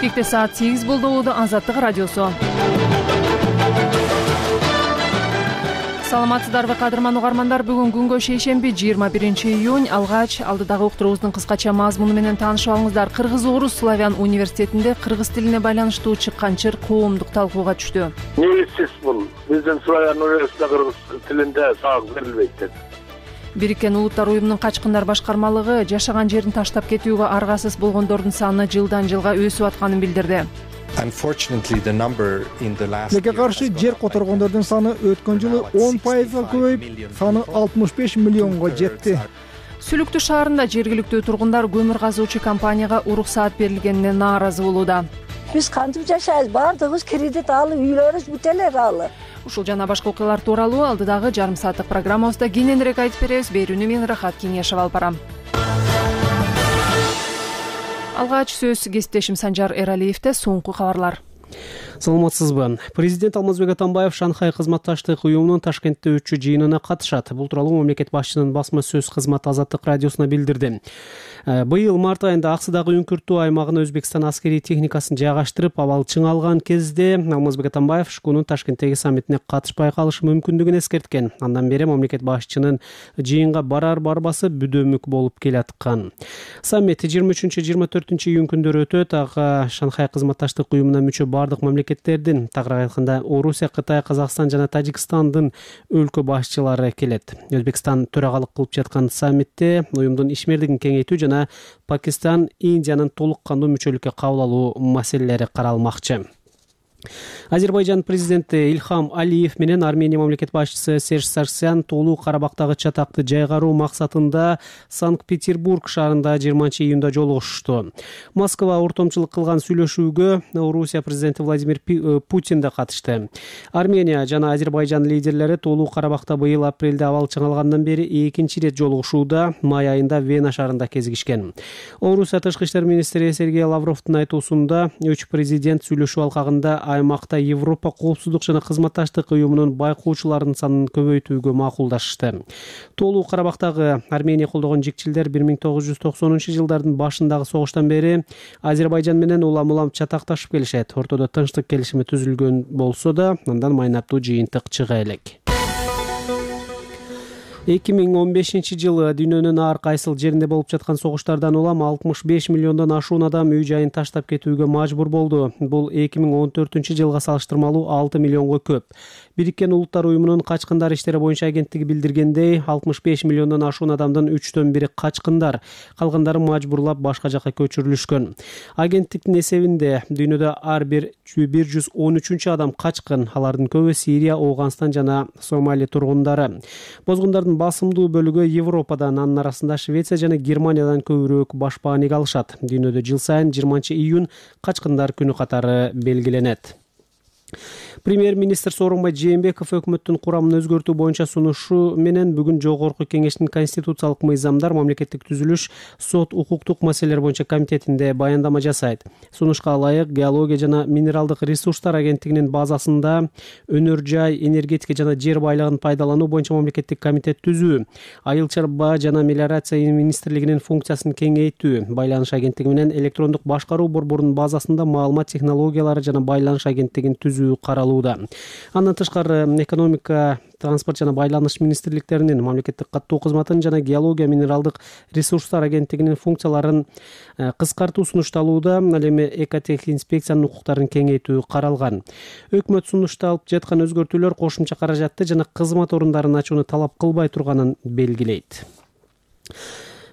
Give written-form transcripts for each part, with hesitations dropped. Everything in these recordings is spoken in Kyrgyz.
Бишкекте саат 8 болду. Азаттык радиосу. Саламатсыздарбы кадырман угармандар, бүгүн күнгө шейшемби 21-июнь. Алгач алдыдагы уктуруубуздун кыскача мазмуну менен таанышып алыңыздар. Кыргыз-орус славян университетинде кыргыз тилине байланыштуу чыккан чыр коомдук талкууга түштү. Негизсиз бул биздин славян университетинде кыргыз тилинде сабак берилбейт деп. Бириккен Улуттар уюмунун качкындар башкармалыгы жашаган жерин таштап кетүүгө аргасыз болгондордун саны жылдан жылга өсүп атканын билдирди. Тилекке каршы жер которгондордун саны өткөн жылы 10% көбөйүп, саны 65 миллионго жетти. Сүлүктүү шаарында жергиликтүү тургундар көмүр казуучу компанияга уруксаат берилгенине нааразы болууда. Биз кантип жашайбыз? Баардыгыбыз кредит алып, үйлөрүбүз бүт эле алы. Ушул жана башка окуялар тууралуу алдыдагы жарым сааттык программабызда кененирээк айтып беребиз. Берүүнү мен Рахат Кеңешева алып барам. Алгач сөз кесиптешим Санжар Эралиевде. Соңку кабарлар. Саламатсызбы. Президент Алмазбек Атамбаев Шанхай кызматташтык уюмунун Ташкентте өтчү жыйынына катышат. Бул тууралуу мамлекет башчынын басма сөз кызматы Азаттык радиосуна билдирди. Быйыл март айында Аксыдагы үңкүртүү аймагына Өзбекстан аскерий техникасын жайгаштырып, абал чыңалган кезде Алмазбек Атамбаев ШКУнун Ташкенттеги саммитине катышпай калышы мүмкүндүгүн эскерткен. Андан бери мамлекет башчынын жыйынга барар-барбасы бүдөмүк болуп келаткан. Саммит 23-24 күндөрү өтөт. Ага Шанхай кызматташтык уюмуна мүчө бардык мамлекеттердин, тагыраак айтканда Орусия, Кытай, Казакстан жана Тажикстандын өлкө башчылары келет. Өзбекстан төрагалык кылып жаткан саммитте уюмдун ишмерлигин кеңейтүү жана Пакистан, Индиянын толук кандуу мүчөлүккө кабыл алуу маселелери каралмакчы. Азербайжан президенти Ильхам Алиев менен Армения мамлекет башчысы Серж Саргсян Тоолуу Карабактагы чатакты жайгаруу максатында Санкт-Петербург шаарында 20-июнда жолугушту. Москва ортомчулук кылган сүйлөшүүгө Орусия президенти Владимир Путин да катышты. Армения жана Азербайжан лидерлери Тоолуу Карабакта быйыл апрелде абал чыңалгандан бери экинчи ирет жолугушууда, май айында Вена шаарында кезигишкен. Орусия тышкы иштер министри Сергей Лавровдун айтуусунда, үч президент сүйлөшүү алкагында аймакта Европа коопсуздук жана кызматташтык уюмунун байкоочуларынын санын көбөйтүүгө макулдашты. Тоолуу Карабактагы Армения колдогон жикчилдер 1990-жылдардын башындагы согуштан бери Азербайжан менен улам-улам чатакташып келишет. Ортодо тынчтык келишими түзүлгөн болсо да, андан майнаттуу жыйынтык чыга элек. 2015-жылы дүйнөнүн ар кайсыл жеринде болуп жаткан согуштардан улам 65 миллиондон ашуун адам үй жайын таштап кетүүгө мажбур болду. Бул 2014-жылга салыштырмалуу 6 миллионго көп. Бириккен Улуттар уюмунун качкындар иштери боюнча агенттиги билдиргендей, 65 миллиондон ашуун адамдын 3/4 качкындар, калгандары мажбурлап башка жакка көчүрүлүшкөн. Агенттиктин эсебинде дүйнөдө ар бир 113 адам качкын, алардын көбү Сирия, Ооганстан жана Сомали тургундары. Бозгундардын басымдуу бөлүгү Европадан, анын арасында Швеция жана Германиядан көбүрөөк башпааник алышат. Дүйнөдө жыл сайын 20-июнь качкындар күнү катары белгиленет. Премьер-министр Сооронбай Жээнбеков өкмөттүн курамын өзгөртүү боюнча сунушу менен бүгүн Жогорку Кеңештин конституциялык мыйзамдар, мамлекеттик түзүлүш, сот, укуктук маселелер боюнча комитетинде баяндама жасайт. Сунушка ылайык Геология жана минералдык ресурстар агенттигинин базасында өнөр жай, энергетика жана жер байлыгын пайдалануу боюнча мамлекеттик комитет түзүү, айыл чарба жана мелиорация министрлигинин функциясын кеңейтүү, байланыш агенттиги менен электрондук башкаруу борборунун базасында маалымат технологиялары жана байланыш агенттигин түзүү каралууда. Андан тышкары экономика, транспорт жана байланыш министрликтеринин, мамлекеттик каттоо кызматынын жана геология минералдык ресурстар агенттигинин функцияларын кыскартуу сунушталууда, ал эми экотех инспекциянын укуктарын кеңейтүү каралган. Өкмөт сунушталып жаткан өзгөртүүлөр кошумча каражатты жана кызмат орундарын ачууну талап кылбай турганын белгилейт.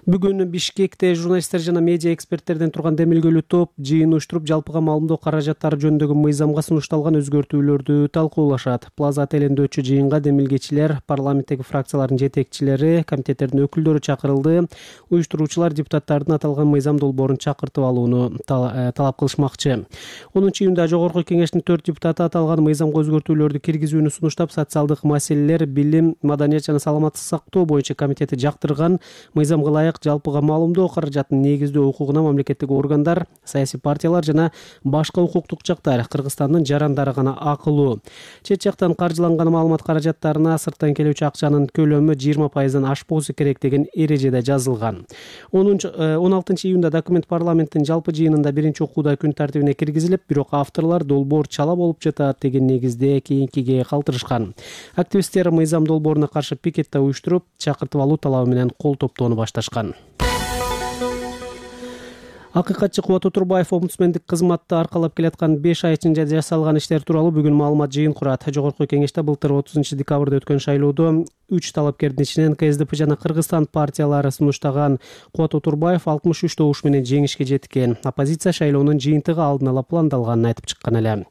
Бүгүн Бишкекте журналисттер жана медиа эксперттерден турган демилгелүү топ жыйын уюштуруп, жалпыга маалымдоо каражаттары жөнүндөгү мыйзамга сунушталган өзгөртүүлөрдү талкуулашат. Плаза отелинде өтчү жыйынга демилгечилер, парламенттеги фракциялардын жетекчилери, комитеттердин өкүлдөрү чакырылды. Уюштуруучулар депутаттардын аталган мыйзам долбоорун чакыртып алууну талап кылышмакчы. 10-июнда Жогорку Кеңештин 4 депутаты аталган мыйзамга өзгөртүүлөрдү киргизүүнү сунуштап, социалдык маселелер, билим, маданият жана саламаттык сактоо боюнча комитети жактырган мыйзамга ылайык ынчалык жалпыга маалымдоо каражатын негиздөө укугуна мамлекеттик органдар, саясий партиялар жана башка укуктук жактар, Кыргызстандын жарандары гана акылуу. Чет жактан каржыланган маалымат каражаттарына сырттан келүүчү акчанын көлөмү 20%дан ашпоосу керек деген эрежеде жазылган. 16 июнда документ парламенттин жалпы жыйынында биринчи окууда күн тартибине киргизилип, бирок авторлар долбоор чала болуп жатат деген негизде кийинкиге калтырышкан. Активисттер мыйзам долбооруна каршы пикетти уюштуруп, чакыртып алуу талабы менен кол топтоону башташкан. Акыйкатчы Кубат Отурбаев омбудсмендик кызматты аркалап келаткан 5 ай ичинде жасалган иштер тууралуу бүгүн маалымат жыйын курат. Жогорку кеңеште былтыр 30 декабрда өткөн шайлоодо 3 талапкердин ичинен КСДП жана Кыргызстан партиялары сунуштаган Кубат Отурбаев 63 добуш менен жеңишке жеткен. Оппозиция шайлоонун жыйынтыгы алдын ала пландалганын айтып чыккан эле.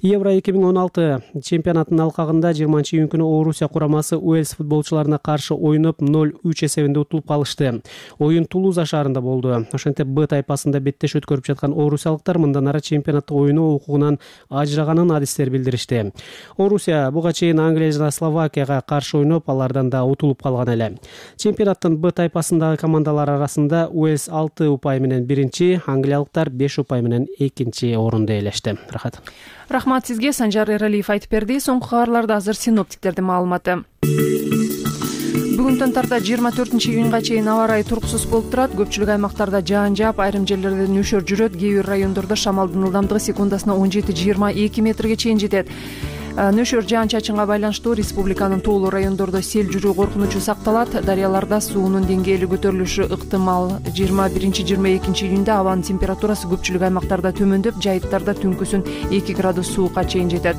Евро 2016 чемпионатынын алкагында 20 июнь күнү Орусия курамасы Уэльс футболчуларына каршы ойноп 0-3 эсебинде утулуп калышты. Оюн Тулуза шаарында болду. Ошентип Б тайпасында беттеш өткөрүп жаткан орусиялыктар мындан ары чемпионатты ойноо укугунан ажыраганын адистер билдиришти. Орусия буга чейин Англия жана Словакияга каршы ойноп, алардан да утулуп калган эле. Чемпионаттын Б тайпасындагы командалар арасында Уэльс 6 упай менен биринчи, англиялыктар 5 упай менен экинчи орунду ээлешти. Рахмат сизге, Санжар Эралиев айтып берди. Соңку кабарларда азыр синоптиктердин маалыматы. Бүгүндөн тарта 24 июнга чейин аба ырайы туруксуз болуп турат. Көпчүлүк аймактарда жаан жаап, айрым жерлерде нөшөр жүрөт. Кээ бир райондордо шамалдын ылдамдыгы секундасына 17-22 метрге чейин жетет. Нөшөр жаан чачынга байланыштуу республиканын тоолуу райондордо сел жүрүү коркунучу сакталат. Дарыяларда суунун деңгээли көтөрүлүшү ыктымал. 21-22 июнда абанын температурасы көпчүлүк аймактарда төмөндөп, жайыттарда түнкүсүн 2 градус суукка чейин жетет.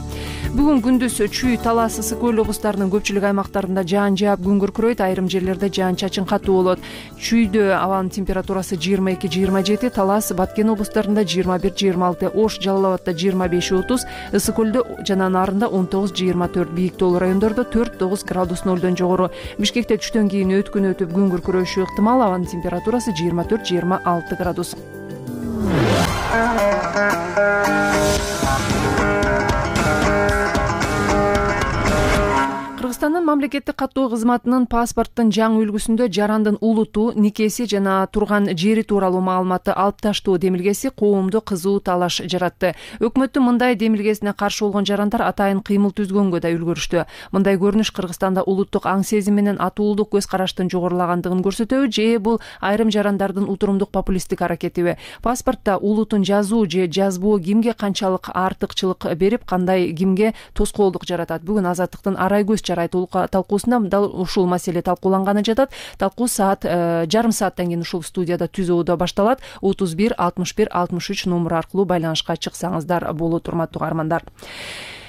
Бүгүн күндүз Чүй, Талас, Ысык көл облустарынын көпчүлүк аймактарында жаан жаап, күн күркүрөйт. Айрым жерлерде жаан чачын катуу болот. Чүйдө абанын температурасы 22-27, Талас, Баткен облустарында 21-26, Ош, Жалал Абадда 25-30, Ысык көлдө жана нарында 19-24, бийик тоолуу райондордо 4-9 градус нөлдөн жогору. Бишкекте түштөн кийин өткүн өтүп күн күркүрөшү ыктымал. Абанын температурасы 24-26 градус. Кыргызстандын мамлекеттик каттоо кызматынын паспорттун жаңы үлгүсүндө жарандын улуту, никеси жана турган жери тууралуу маалыматты алып таштоо демилгеси коомдо кызуу талаш жаратты. Өкмөттүн мындай демилгесине каршы болгон жарандар атайын кыймыл түзгөнгө да үлгүрүштү. Мындай көрүнүш Кыргызстанда улуттук аң сезим менен атуулдук көз караштын жогорулагандыгын көрсөтөбү же бул айрым жарандардын утурумдук популисттик аракетиби? Паспортто улутун жазуу же жазбоо кимге канчалык артыкчылык берип, кандай кимге тоскоолдук жаратат? Бүгүн Азаттыктын Арай көз чарай талкуусунда дал ушул маселе талкууланганы жатат. Талкуу жарым сааттан кийин ушул студияда түзөөдө башталат. 31 61 63 номер аркылуу байланышка чыксаңыздар болот, урматтуу каармандар.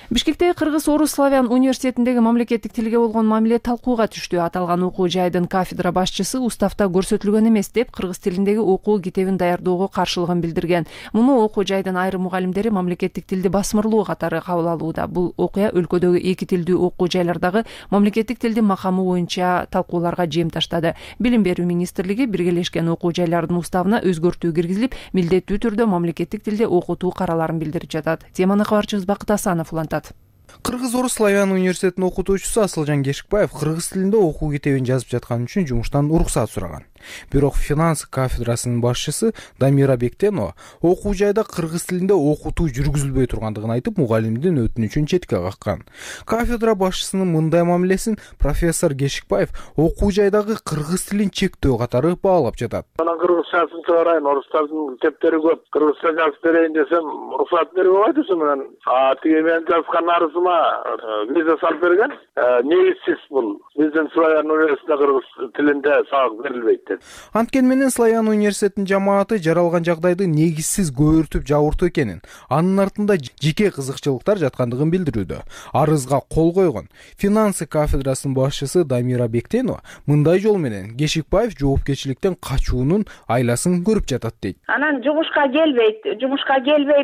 Бишкекте Кыргыз-Орус славян университетиндеги мамлекеттик тилге болгон мамиле талкууга түштү. Аталган окуу жайдын кафедра башчысы уставда көрсөтүлгөн эмес деп кыргыз тилиндеги окуу китебин даярдоого каршылыгын билдирген. Муну окуу жайдын айрым мугалимдери мамлекеттик тилди басмырлоо катары кабыл алууда. Бул окуя өлкөдөгү эки тилдүү окуу жайлардагы мамлекеттик тилдин макамы боюнча талкууларга жем таштады. Билим берүү министрлиги биргелешкен окуу жайлардын уставына өзгөртүү киргизилип, милдеттүү түрдө мамлекеттик тилде окутуу караларын билдирип жатат. Теманы кабарчыбыз Бакыт Асанов улантат. Кыргыз-Орус славян университетинин окутуучусу Асылжан Кешикбаев кыргыз тилинде окуу китебин жазып жаткан үчүн жумуштан уруксат сураган. Бирок финанс кафедрасынын башчысы Дамира Бектенова окуу жайда кыргыз тилинде окутуу жүргүзүлбөй тургандыгын айтып, мугалимдин өтүнүчүн четке каккан. Кафедра башчысынын мындай мамилесин профессор Кешикбаев окуу жайдагы кыргыз тилин чектөө катары баалап жатат. Анан кыргызчасын чыгарайын, орустардын китептери көп. Кыргызча жазып берейин десем, уруксат берип албайт менен. Тиги мен жазган арызыма виза салып берген. Негизсиз бул. Биздин Славян университетинде кыргыз тилинде сабак берилбейт. Анткени менен Славян университетинин жамааты жаралган жагдайды негизсиз көбөртүп жабыртуу экенин, анын артында жеке кызыкчылыктар жаткандыгын билдирүүдө. Арызга кол койгон финансы кафедрасынын башчысы Дамира Бектенова мындай жол менен Кешикбаев жоопкерчиликтен качуунун айласын көрүп жатат дейт. Анан жумушка келбей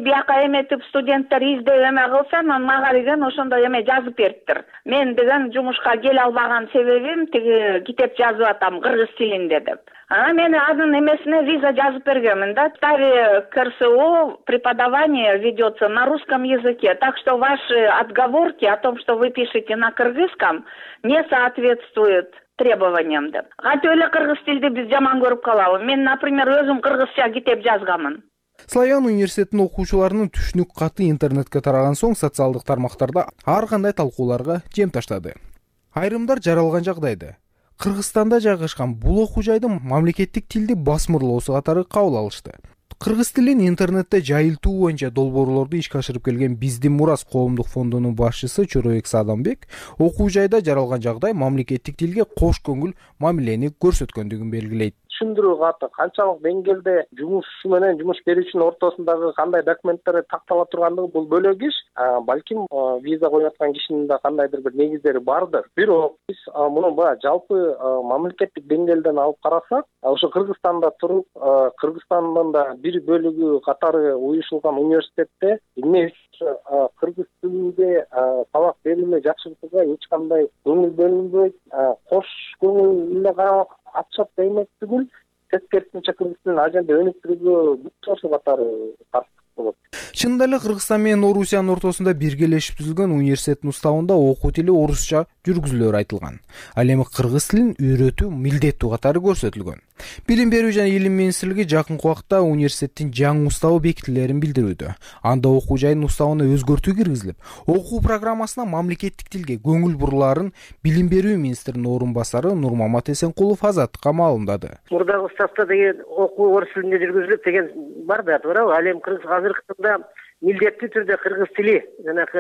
бияка эметип студенттер издөө эме кылса, мага деген ошондой эме жазып бериптир. Мен деген жумушка келе албаган себебим тиги китеп жазып атам кыргыз тилинде деп. Мен анын эмесине виза жазып бергенмин да. В уставе КРСО преподавание ведется на русском языке. Так что ваши отговорки о том, что вы пишете на кыргызском, не соответствуют требованиямды. Катып эле кыргыз тилди биз жаман көрүп калабы? Мен, например, өзүм кыргызча китеп жазганмын. Славян университетинин окуучуларынын түшүнүк каты интернетке тараган соң социалдык тармактарда ар кандай талкууларга жем таштады. Айрымдар жаралган жагдайда Кыргызстанда жайгашкан бул окуу жайды мамлекеттик тилди басмырлоосу катары кабыл алышты. Кыргыз тилин интернетте жайылтуу боюнча долбоорлорду ишке ашырып келген Биздин мурас коомдук фондунун башчысы Чоройбек Садамбек окуу жайда жаралган жагдай мамлекеттик тилге кош көңүл мамилени көрсөткөндүгүн белгилейт. Түшүндүрүү каты канчалык деңгээлде жумушчу менен жумуш берүүчүнүн ортосундагы кандай документтер тактала тургандыгы бул бөлөк иш. Балким виза коюп аткан кишинин да кандайдыр бир негиздери бардыр. Бирок биз муну баягы жалпы мамлекеттик деңгээлден алып карасак, ошо Кыргызстанда туруп, Кыргызстандын да бир бөлүгү катары уюшулган университетте эмне кыргыз тилинде сабак берүүнү жакшыртууга эч кандай көңүл бөлүнбөйт, кош көңүл эле карап атышат демек түгүл, тескерисинче кыргыз тилин ал жерде өнүктүрүүгө бүт катары каршы болот. Чынында эле Кыргызстан менен Орусиянын ортосунда биргелешип түзүлгөн университеттин уставында окуу тили орусча жүргүзүлөөрү айтылган. Ал эми кыргыз тилин үйрөтүү милдеттүү катары көрсөтүлгөн. Билим берүү жана илим министрлиги жакынкы убакта университеттин жаңы уставы бекитилерин билдирүүдө. Анда окуу жайдын уставына өзгөртүү киргизилип, окуу программасына мамлекеттик тилге көңүл бурулаарын билим берүү министринин орун басары Нурмамат Эсенкулов Азаттыкка маалымдады. Мурдагы уставда деген окуу орус тилинде жүргүзүлөт деген бар да, туурабы? Ал эми азыркы таңда милдеттүү түрдө кыргыз тили жанакы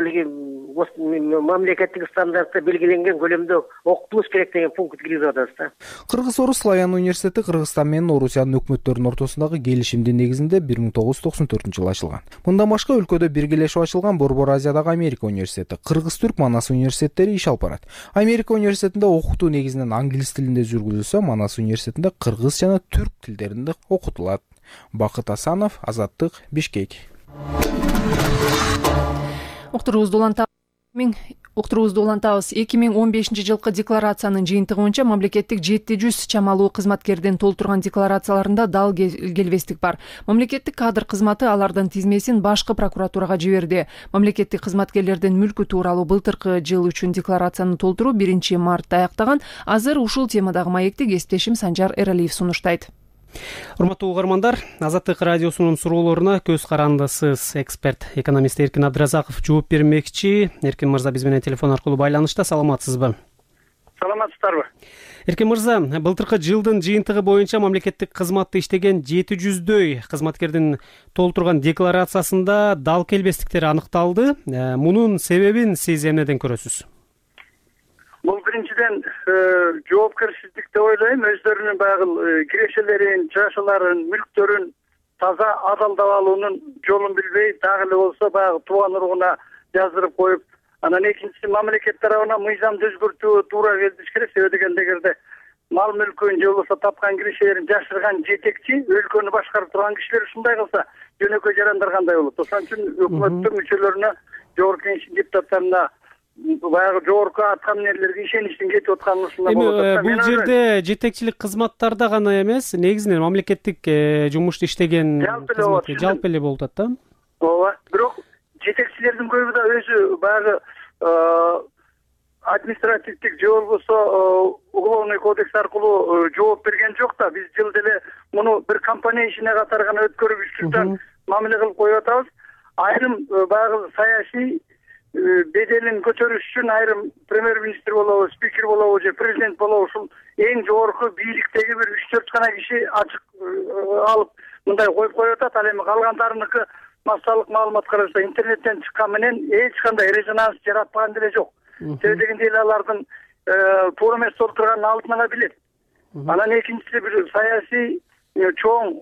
мамлекеттик стандартта белгиленген көлөмдө окутулуш керек деген пункт киргизип атабыз да. Кыргыз-Орус Славян университети Кыргызстан менен Орусиянын өкмөттөрүнүн ортосундагы келишимдин негизинде 1994-жылы ачылган. Мындан башка өлкөдө биргелешип ачылган Борбор Азиядагы Америка университети, Кыргыз-Түрк Манас университеттери иш алып барат. Америка университетинде окутуу негизинен англис тилинде жүргүзүлсө, Манас университетинде кыргыз жана түрк тилдеринде окутулат. Бакыт Асанов, Азаттык, Бишкек. Уктуруубузду улантабыз. 2015-жылкы декларациянын жыйынтыгы боюнча мамлекеттик 700 чамалуу кызматкердин толтурган декларацияларында дал келбестик бар. Мамлекеттик кадр кызматы алардын тизмесин башкы прокуратурага жиберди. Мамлекеттик кызматкерлердин мүлкү тууралуу былтыркы жыл үчүн декларацияны толтуруу 1-мартта аяктаган. Азыр ушул темадагы маекти кесиптешим Санжар Эралиев сунуштайт. Урматтуу угармандар, Азаттык радиосунун суроолоруна көз карандысыз эксперт, экономист Эркин Абдыразаков жооп бермекчи. Эркин мырза биз менен телефон аркылуу байланышта, саламатсызбы? Саламатсыздарбы? Эркин мырза, былтыркы жылдын жыйынтыгы боюнча мамлекеттик кызматты иштеген 700дөй кызматкердин толтурган декларациясында дал келбестиктер аныкталды. Мунун себебин сиз эмнеден көрөсүз? Бул биринчиден жоопкерчилик деп ойлойм. Өздөрүнүн баягы кирешелерин, жашыларын, мүлктөрүн таза адалдап алуунун жолун билбей, дагы эле болсо баягы тууган уругуна жаздырып коюп, анан экинчиси мамлекет тарабынан мыйзамды өзгөртүү туура келиш керек. Себеби дегенде эгерде мал мүлкүн же болбосо тапкан кирешелерин жашырган жетекчи, өлкөнү башкарып турган кишилер ушундай кылса, жөнөкөй жарандар кандай болот? Ошон үчүн өкмөттүн мүчөлөрүнө, жогорку кеңештин депутаттарына баягы жогорку аткаминерлерге ишеничтин кетип атканын ушундан болот. Бул жерде жетекчилик кызматтарда гана эмес, негизинен мамлекеттик жумушта иштеген жалпы эле болуп атат да. Ооба. Бирок жетекчилердин көбү да өзү баягы административдик же болбосо уголовный кодекс аркылуу жооп берген жок да. Биз жылда эле муну бир компания ишине катары гана өткөрүп үчтүктөн мамиле кылып коюп атабыз. Айрым баягы саясий беделин көтөрүш үчүн айрым премьер-министр болобу, спикер болобу же президент болобу ушул эң жогорку бийликтеги бир 3-4 гана киши ачык алып мындай коюп атат. Ал эми калгандарыныкы массалык маалымат караса интернеттен чыккан менен эч кандай резонанс жаратпаган деле жок. Себеби дегенде эле алардын туура эмес толтурганын алдын ала билет. Анан экинчиси бир саясий чоң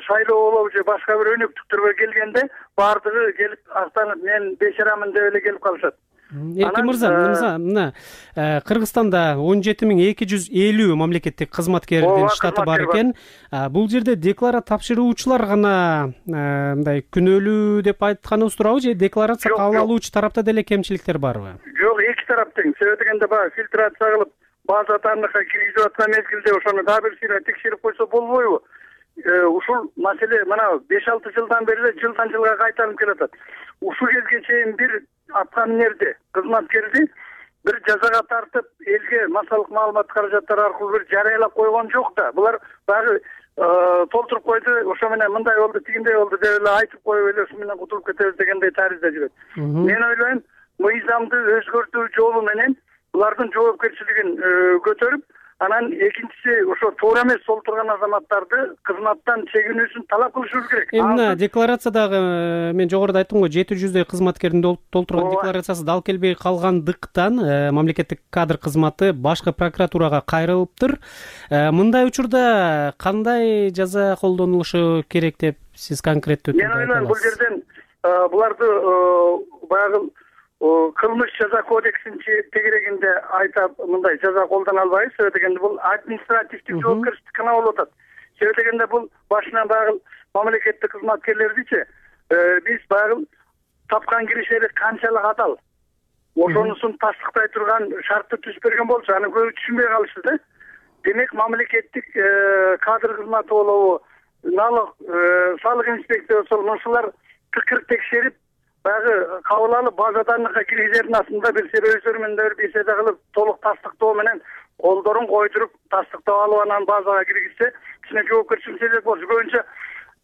шайлоо болобу же башка бир өнөктүктөргө келгенде баардыгы келип актанып мен бечарамын деп эле келип калышат. Эркин мырза, мына Кыргызстанда 17250 мамлекеттик кызматкердин штаты бар экен. Бул жерде декларация тапшыруучулар гана мындай күнөөлүү деп айтканыбыз туурабы же декларация кабыл алуучу тарапта деле кемчиликтер барбы? Жок, эки тарап тең. Себеби дегенде баягы фильтрация кылып база данныхка киргизип аткан мезгилде ошону дагы бир сыйра текшерип койсо болбойбу? Ушул маселе мына 5-6 жылдан бери жылдан жылга кайталанып келатат. Ушул кезге чейин бир аткаминерди, кызматкерди бир жазага тартып элге массалык маалымат каражаттары аркылуу бир жарыялап койгон жок да. Булар баягы толтуруп койду, ошо менен мындай болду, тигиндей болду деп эле айтып коюп эле ушу менен кутулуп кетебиз дегендей таризде жүрөт. Мен ойлойм, мыйзамды өзгөртүү жолу менен булардын жоопкерчилигин көтөрүп, анан экинчиси ошо туура эмес толтурган азаматтарды кызматтан чегинүүсүн талап кылышыбыз керек. Мына декларациядагы мен жогоруда айттым го, 700 кызматкердин толтурган декларациясы дал келбей калгандыктан мамлекеттик кадр кызматы башкы прокуратурага кайрылыптыр. Мындай учурда кандай жаза колдонулушу керек деп сиз конкреттүү түрдө айтасыз? Мен ойлойм, бул жерден буларды баягы кылмыш жаза кодексин тегерегинде айтап мындай жаза колдоно албайбыз. Себеби дегенде бул административдик жоопкерчилик гана болуп атат. Себеби дегенде бул башынан баягы мамлекеттик кызматкерлердичи биз баягы тапкан киришleri канчалык адал, ошонусун тастыктай турган шартты түзүп берген болчу, аны көбү түшүнбөй калышты да. Демек мамлекеттик кадр кызматы болобу, налог, салык инспекциясы болобу, ушулар тыкыр текшерип баягы кабыл алып базадан киргизердин астында бир өздөрү менен бир беседа кылып толук тастыктоо менен колдорун койдуруп тастыктап алып анан базага киргизсе кичине жоопкерчилик сезет болчу. Көбүнчө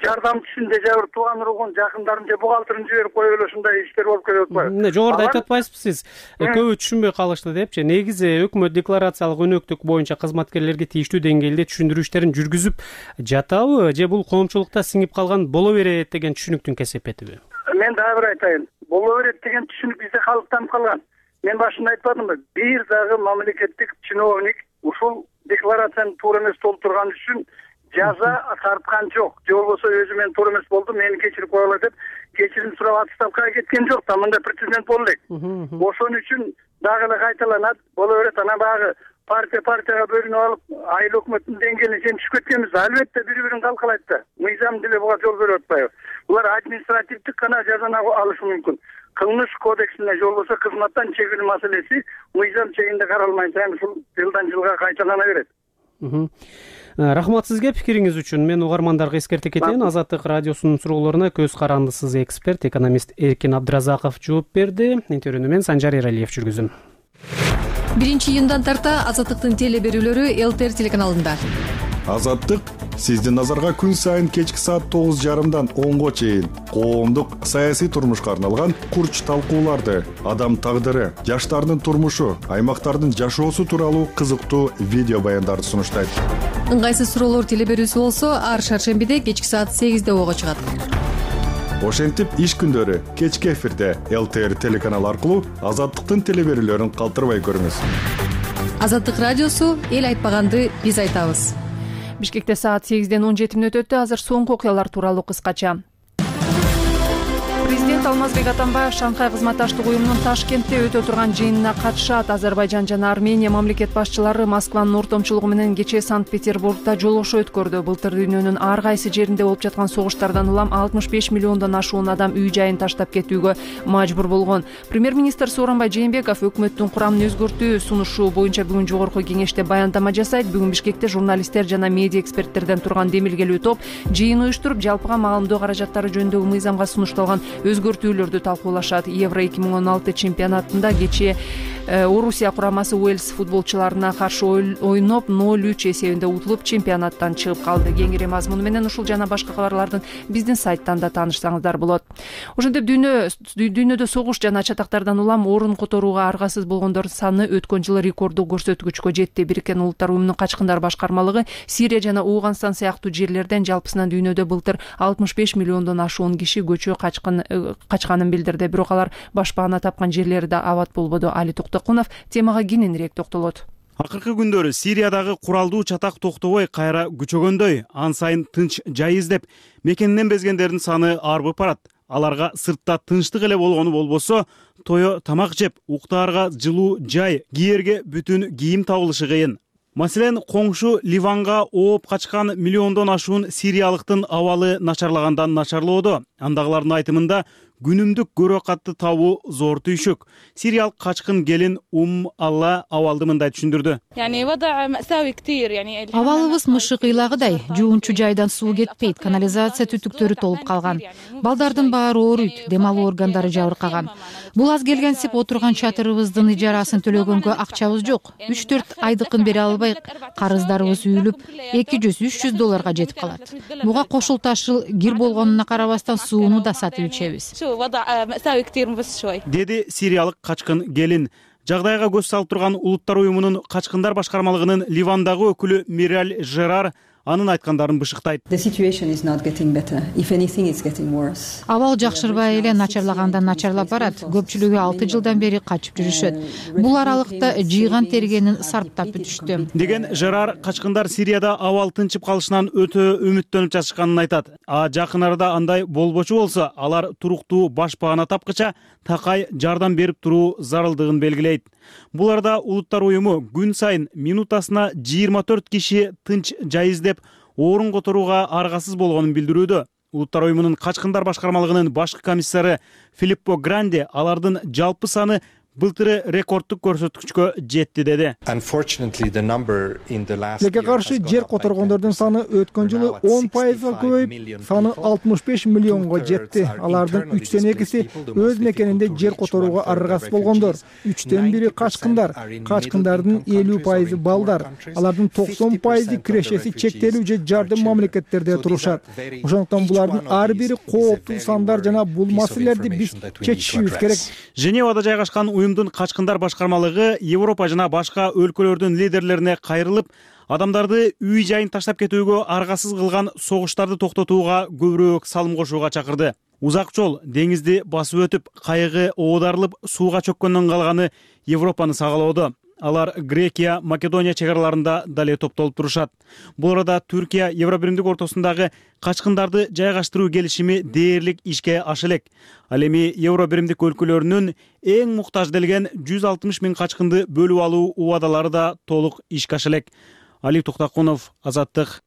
жардамчысын же жабыр тууган уругун, жакындарын же бухгалтерин жиберип коюп эле ушундай иштер болуп кетип атпайбы? Эмне жогоруда айтып атпайсызбы сиз? Көбү түшүнбөй калышты депчи. Негизи өкмөт декларациялык өнөктүк боюнча кызматкерлерге тийиштүү деңгээлде түшүндүрүү иштерин жүргүзүп жатабы, же бул коомчулукта сиңип калган боло берет деген түшүнүктүн кесепетиби? Мен дагы бир айтайын. Боло берет деген түшүнүк бизде калыптанып калган. Мен башында айтпадымбы? Бир дагы мамлекеттик чиновник ушул декларацияны туура эмес толтурган үчүн жаза тарткан жок. Же болбосо өзү менен туура эмес болду, мени кечирип койгула деп кечирим сурап отставкага кеткен жок да. Мындай прецедент боло элек. Ошон үчүн дагы эле кайталанат. Боло берет. Анан баягы партияга бөлүнүп алып, айыл өкмөттүн деңгээлине сен түшүп кеткенбиз. Албетте бири-бирин калкалайт да. Мыйзам деле буга жол берип атпайбы? Булар административдик гана жазаны алышы мүмкүн. Кылмыш кодексине же болбосо кызматтан чегинүү маселеси мыйзам чегинде каралмай сайын ушул жылдан жылга кайталана берет. Рахмат сизге пикириңиз үчүн. Мен угармандарга эскерте кетейин. Азаттык радиосунун суроолоруна көз карандысыз эксперт, экономист Эркин Абдыразаков жооп берди. Интервьюну мен Санжар Эралиев жүргүздүм. 1-июндан тарта Азаттыктын теле берүүлөрү ЛТР телеканалында. Азаттык сиздин назарга күн сайын кечки саат 9:30дан 10го чейин коомдук саясий турмушка арналган курч талкууларды, адам тагдыры, жаштардын турмушу, аймактардын жашоосу тууралуу кызыктуу видео баяндарды сунуштайт. Ыңгайсыз суроолор теле берүүсү болсо, ар шаршембиде кечки саат 8де ого чыгат. Ошентип иш күндөрү кечки эфирде ЛТР телеканалы аркылуу Азаттыктын теле берүүлөрүн калтырбай көрүңүз. Азаттык радиосу эл айтпаганды биз айтабыз. Бишкекте саат 8ден 17 өтөттү. Азыр соңку окуялар тууралуу кыскача. Президент Алмазбек Атамбаев Шанхай кызматташтык уюмунун Ташкентте өтө турган жыйынына катышат. Азербайжан жана Армения мамлекет башчылары Москванын ортомчулугу менен кечээ Санкт-Петербургда жолугушуу өткөрдү. Былтыр дүйнөнүн ар кайсы жеринде болуп жаткан согуштардан улам 65 миллиондон ашуун адам үй жайын таштап кетүүгө мажбур болгон. Премьер-министр Сооронбай Жээнбеков өкмөттүн курамын өзгөртүү сунушу боюнча бүгүн жогорку кеңеште баяндама жасайт. Бүгүн Бишкекте журналисттер жана медиа эксперттерден турган демилгелүү топ жыйын уюштуруп, жалпыга маалымдоо каражаттары жөнүндөгү мыйзамга сунушталган өзгөртүүлөрдү талкуулашат. Евро 2016 чемпионатында кечээ Орусия курамасы Уэльс футболчуларына каршы ойноп 0-3 эсебинде утулуп чемпионаттан чыгып калды. Кеңири мазмуну менен ушул жана башка кабарлардын биздин сайттан да таанышсаңыздар болот. Ошентип дүйнөдө согуш жана чатактардан улам орун которууга аргасыз болгондор саны өткөн жылы рекорддук көрсөткүчкө жетти. Бириккен Улуттар уюмунун качкындар башкармалыгы Сирия жана Ооганстан сыяктуу жерлерден жалпысынан дүйнөдө былтыр 65 миллиондон ашуун киши көчө качканын билдирди. Бирок алар башпаана тапкан жерлери да абат болбоду. Али Токтокунов темага кененирээк токтолот. Акыркы күндөрү Сириядагы куралдуу чатак токтобой кайра күчөгөндөй, ан сайын тынч жай издеп, мекенинен безгендердин саны арбып барат. Аларга сыртта тынчтык эле болгону болбосо, тое тамак жеп, уктаарга жылуу жай, кийерге бүтүн кийим табылышы кыйын. Маселен, коңшу Ливанга ооп качкан миллиондон ашуун сириялыктын абалы начарлагандан начарлоодо. Андагылардын айтымында күнүмдүк көрө катты табуу зор түйшүк. Сириялык качкын келин Алла абалды мындай түшүндүрдү. Абалыбыз мышык ыйлагыдай, жуунчу жайдан суу кетпейт, канализация түтүктөрү толуп калган. Балдардын баары ооруйт, дем алуу органдары жабыркаган. Бул аз келгенсип отурган чатырыбыздын ижарасын төлөгөнгө акчабыз жок. 3-4 айдыкын бере албай, карыздарыбыз үйүлүп, $200-300 жетип калат. Буга кошулташыл кир болгонуна карабастан сууну да сатып ичебиз. Деди сириялык качкын келин. Жагдайга көз салып турган Улуттар уюмунун качкындар башкармалыгынын Ливандагы өкүлү Мираль Жерар анын айткандарын бышыктайт. Абал жакшырбай эле начарлагандан начарлап барат. Көпчүлүгү 6 жылдан бери качып жүрүшөт. Бул аралыкта жыйган тергенин сарптап бүтүштү. Деген Жерар качкындар Сирияда абал тынчып калышынан өтө үмүттөнүп жатышканын айтат. Жакын арада андай болбочу болсо, алар туруктуу башпаана тапкыча такай жардам берип туруу зарылдыгын белгилейт. Бул арада Улуттар уюму күн сайын минутасына 24 киши тынч жай издеп орун которууга аргасыз болгонун билдирүүдө. Улуттар уюмунун качкындар башкармалыгынын башкы комиссары Филиппо Гранди алардын жалпы саны былтыры рекордтук көрсөткүчкө жетти деди. Тилекке каршы жер которгондордун саны өткөн жылы 10% көбөйүп, саны 65 миллионго жетти. Алардын 3тен 2си өз мекенинде жер которууга аргасыз болгондор. 3тен 1 качкындар. Качкындардын 50% балдар. Алардын 90% кирешеси чектелүү же жардым мамлекеттерде турушат. Ошондуктан булардын ар бири кооптуу сандар жана бул маселелерди биз чечишибиз керек. Женевада жайгашкан уюмдун качкындар башкармалыгы Европа жана башка өлкөлөрдүн лидерлерине кайрылып, адамдарды үй жайын таштап кетүүгө аргасыз кылган согуштарды токтотууга көбүрөөк салым кошууга чакырды. Узак жол деңизди басып өтүп, кайыгы оодарылып, сууга чөккөндөн калганы Европаны сагалоодо. Алар Грекия, Македония чегараларында дале топтолуп турушат. Бул арада Түркия Евробиримдик ортосундагы качкындарды жайгаштыруу келишими дээрлик ишке аша элек. Ал эми Евробиримдик өлкөлөрүнүн эң муктаж делген 160 000 качкынды бөлүп алуу убадалары да толук ишке аша элек. Али Токтакунов, Азаттык.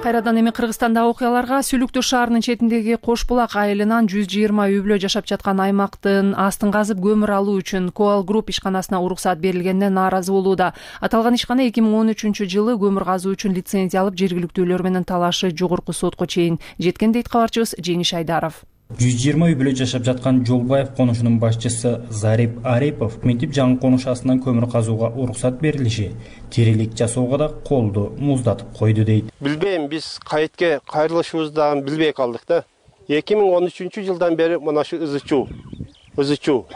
Кайрадан эми Кыргызстандагы окуяларга. Сүлүктүү шаарынын четиндеги Кош булак айылынан 120 үй бүлө жашап жаткан аймактын астын казып көмүр алуу үчүн Коал Групп ишканасына уруксат берилгенине нааразы болууда. Аталган ишкана 2013-жылы көмүр казуу үчүн лицензия алып, жергиликтүүлөр менен талашы жогорку сотко чейин жеткен дейт кабарчыбыз Жеңиш Айдаров. 120 үй бүлө жашап жаткан Жолбаев конушунун башчысы Зарип Арипов мынтип жаңы конуш астынан көмүр казууга уруксат берилиши тирилик жасоого да колду муздатып койду дейт. Билбейм, биз кайтке кайрылышыбызды дагы билбей калдык да. 2013-жылдан бери мына ушу ызычуу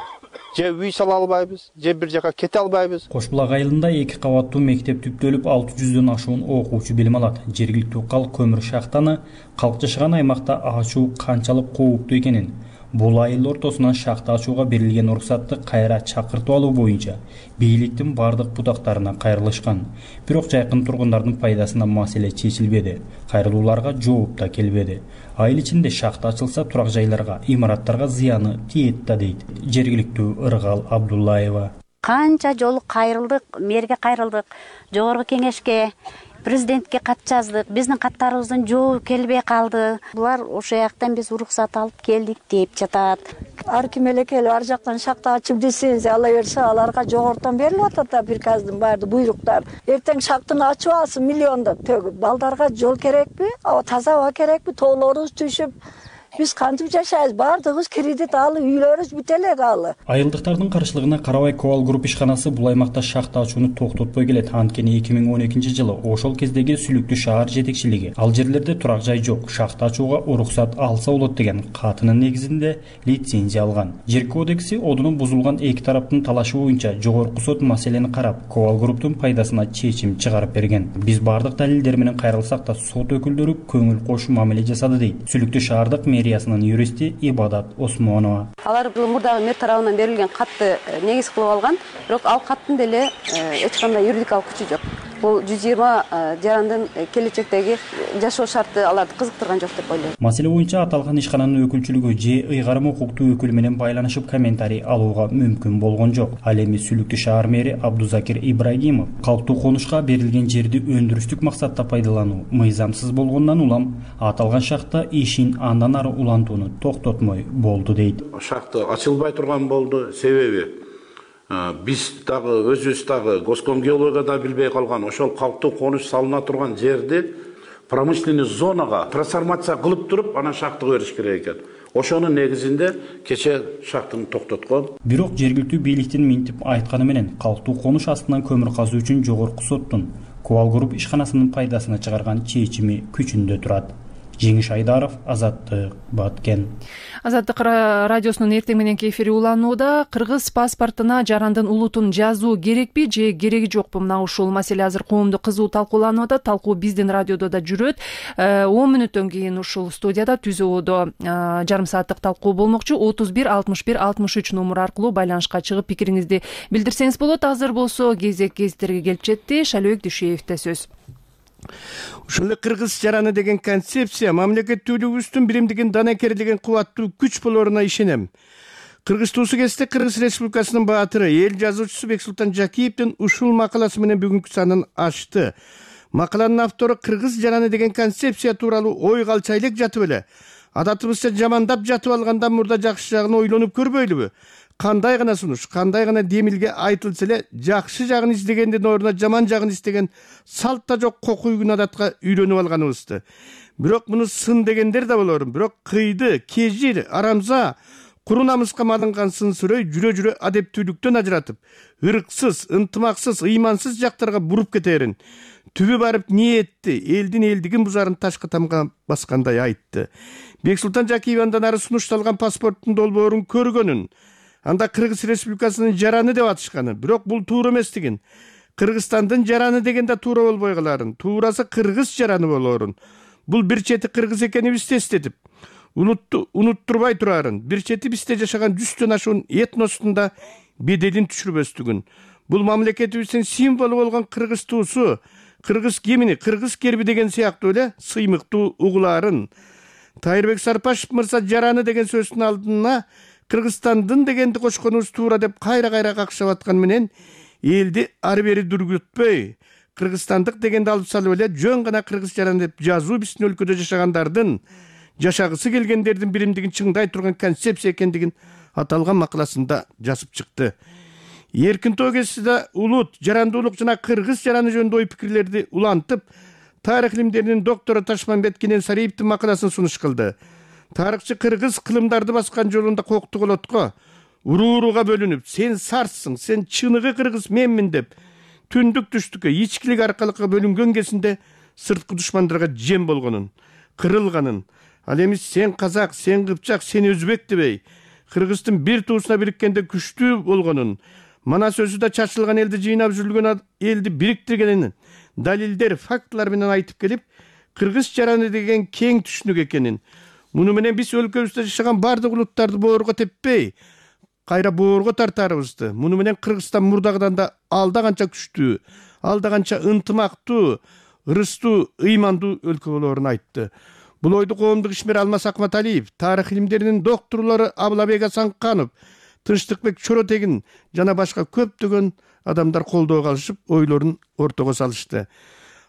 же үй сала албайбыз, же бир жака кете албайбыз. Кошбулак айылында 2 кабаттуу мектеп түптөлүп 600дөн ашуун окуучу билим алат. Жергиликтүү калк көмүр шахтаны калк жашаган аймакта ачуу канчалык кооптуу экенин, бул айыл ортосунан шахта ачууга берилген уруксатты кайра чакыртып алуу боюнча бийликтин бардык бутактарына кайрылышкан. Бирок жайкын тургундардын пайдасына маселе чечилбеди. Кайрылууларга жооп да келбеди. Айыл ичинде шахта ачылса турак жайларга, имараттарга зыяны тиет да дейт жергиликтүү Ыргал Абдуллаева. Канча жолу кайрылдык, мэрге кайрылдык, жогорку кеңешке, президентке кат жаздык. Биздин каттарыбыздын жообу келбей калды. Булар ошол жактан биз уруксат алып келдик деп жатат. Ар ким эле келип ар жактан шахта ачып лицензия ала берсе, аларга жогортон берилип атат да приказдын баардык буйруктар. Эртең шахтаны ачып алсын миллиондоп төгүп. Балдарга жол керекпи? Таза аба керекпи? Тоолорубуз түшүп, биз кантип жашайбыз? Баардыгыбыз кредит алып, үйлөрүбүз бүтө элек алы. Айылдыктардын каршылыгына карабай Коал Групп ишканасы бул аймакта шахта ачууну токтотпой келет. Анткени 2012-жылы ошол кездеги Сүлүктүү шаар жетекчилиги ал жерлерде турак жай жок, шахта ачууга уруксат алса болот деген катынын негизинде лицензия алган. Жер кодекси одуну бузулган эки тараптын талашы боюнча жогорку сот маселени карап, Коал Групптун пайдасына чечим чыгарып берген. Биз бардык далилдер менен кайрылсак да сот өкүлдөрү көңүл кош мамиле жасады дейт Сүлүктүү шаардык мэриясынын юристи Ибадат Осмонова. Алар мурдагы мэр тарабынан берилген катты негиз кылып алган, бирок ал каттын деле эч кандай юридикалык күчү жок. бул 120 жарандын келечектеги жашоо шарты аларды кызыктырган жок деп ойлойм. Маселе боюнча аталган ишкананын өкүлчүлүгү же ыйгарым укуктуу өкүлү менен байланышып комментарий алууга мүмкүн болгон жок. Ал эми Сүлүктүү шаар мэри Абдузакир Ибрагимов калктуу конушка берилген жерди өндүрүштүк максатта пайдалануу мыйзамсыз болгондон улам аталган шахта ишин андан ары улантууну токтотмой болду дейт. Шахта ачылбай турган болду, себеби биз дагы өзүбүз дагы Госкомгеологияда билбей калган ошол калктуу конуш салына турган жерди промышленный зонага трансформация кылып туруп анан шахтага бериш керек экен. Ошонун негизинде кече шахтаны токтоткон. Бирок жергиликтүү бийликтин минтип айтканы менен калктуу конуш астынан көмүр казуу үчүн жогорку соттун Кубал групп ишканасынын пайдасына чыгарган чечими күчүндө турат. Жеңиш Айдаров, Азаттык, Баткен. Азаттык радиосунун эртең мененки эфири уланууда. Кыргыз паспортуна жарандын улутун жазуу керекпи же кереги жокпу? Мына ушул маселе азыр коомдо кызуу талкууланып атат. Талкуу биздин радиодо да жүрөт. 10 мүнөттөн кийин ушул студияда түзөөдө жарым сааттык талкуу болмокчу. 31 61 63 номер аркылуу байланышка чыгып пикириңизди билдирсеңиз болот. Азыр болсо кезектерге келип жетти. Шалөбек Дүйшеевде сөз. Ушул кыргыз жараны деген концепция мамлекеттүүлүгүбүздүн биримдигин данакерлигин кубаттуу күч болоруна ишенем. Кыргызтуусу кезде Кыргыз Республикасынын баатыры, эл жазуучусу Бексултан Жакиевдин ушул макаласы менен бүгүнкү санын ачты. Макаланын автору кыргыз жараны деген концепция тууралуу ой калча элек жатып эле. Адатыбызча жамандап жатып алгандан мурда жакшы жагын ойлонуп көрбөйлүбү? Кандай гана сунуш, кандай гана демилге айтылса эле жакшы жагын издегендин ордуна жаман жагын издеген салт да жок кокуй күн адатка үйлөнүп алганыбызды. Бирок муну сын дегендер да болор. Бирок кыйды, кежир, арамза, куру намыска малынган сын сүрөй жүрө-жүрө адептүүлүктөн ажыратып, ырксыз, ынтымаксыз, ыймансыз жактарга буруп кетерин. Түбү барып ниетти, элдин элдигин бузарын ташкы тамга баскандай айтты. Бексултан Жакиев андан ары сунушталган паспорттун долбоорун көргөнүн, анда Кыргыз Республикасынын жараны деп атышканы, бирок бул туура эместигин. Кыргызстандын жараны дегенде туура болбой каларын, туурасы кыргыз жараны болорун. Бул бир чети кыргыз экенибизди эстетип, улутту унуттурбай турарын, бир чети бизде жашаган 100төн ашуун этностун да беделин түшүрбөстүгүн. Бул мамлекетибиздин символу болгон кыргыз туусу, кыргыз кимини, кыргыз керби деген сыяктуу эле сыймыктуу угуларын. Тайырбек Сарпашев мырза жараны деген сөздүн алдына Кыргызстандын дегенди кошконубуз туура деп кайра-кайра какшап аткан менен элди ары бери дүргүтпөй, кыргызстандык дегенди алып салып эле жөн гана кыргыз жараны деп жазуу биздин өлкөдө жашагандардын, жашагысы келгендердин биримдигин чыңдай турган концепция экендигин аталган макаласында жазып чыкты. Эркин Тоо кезинде улут, жарандуулук жана кыргыз жараны жөнүндө ой пикирлерди улантып, тарых илимдеринин доктору Ташмамбет Кененсариевдин макаласын сунуш кылды. Тарыхчы кыргыз кылымдарды баскан жолунда кокту колотко, урууруга бөлүнүп, сен сарсың, сен чыныгы кыргыз менмин деп, түндүк түштүккө, ичкилик аркалыкка бөлүнгөн кезинде сырткы душмандарга жем болгонун, кырылганын, ал эми сен казак, сен кыпчак, сен өзбек дебей, кыргыздын бир туусуна бириккенде күчтүү болгонун, мана сөзү да чачылган элди жыйнап жүргөн элди бириктиргенин далилдер, фактылар менен айтып келип, кыргыз жараны деген кең түшүнүк экенин, муну менен биз өлкөбүздө жашаган бардык улуттарды боорго теппей, кайра боорго тартарыбызды. Муну менен Кыргызстан мурдагыдан да алда канча күчтүү, алда канча ынтымактуу, ырыстуу, ыймандуу өлкө болоорун айтты. Бул ойду коомдук ишмер Алмаз Акматалиев, тарых илимдеринин докторлору Абылабек Асанканов, Тынчтыкбек Чоротегин жана башка көптөгөн адамдар колдоого алышып, ойлорун ортого салышты.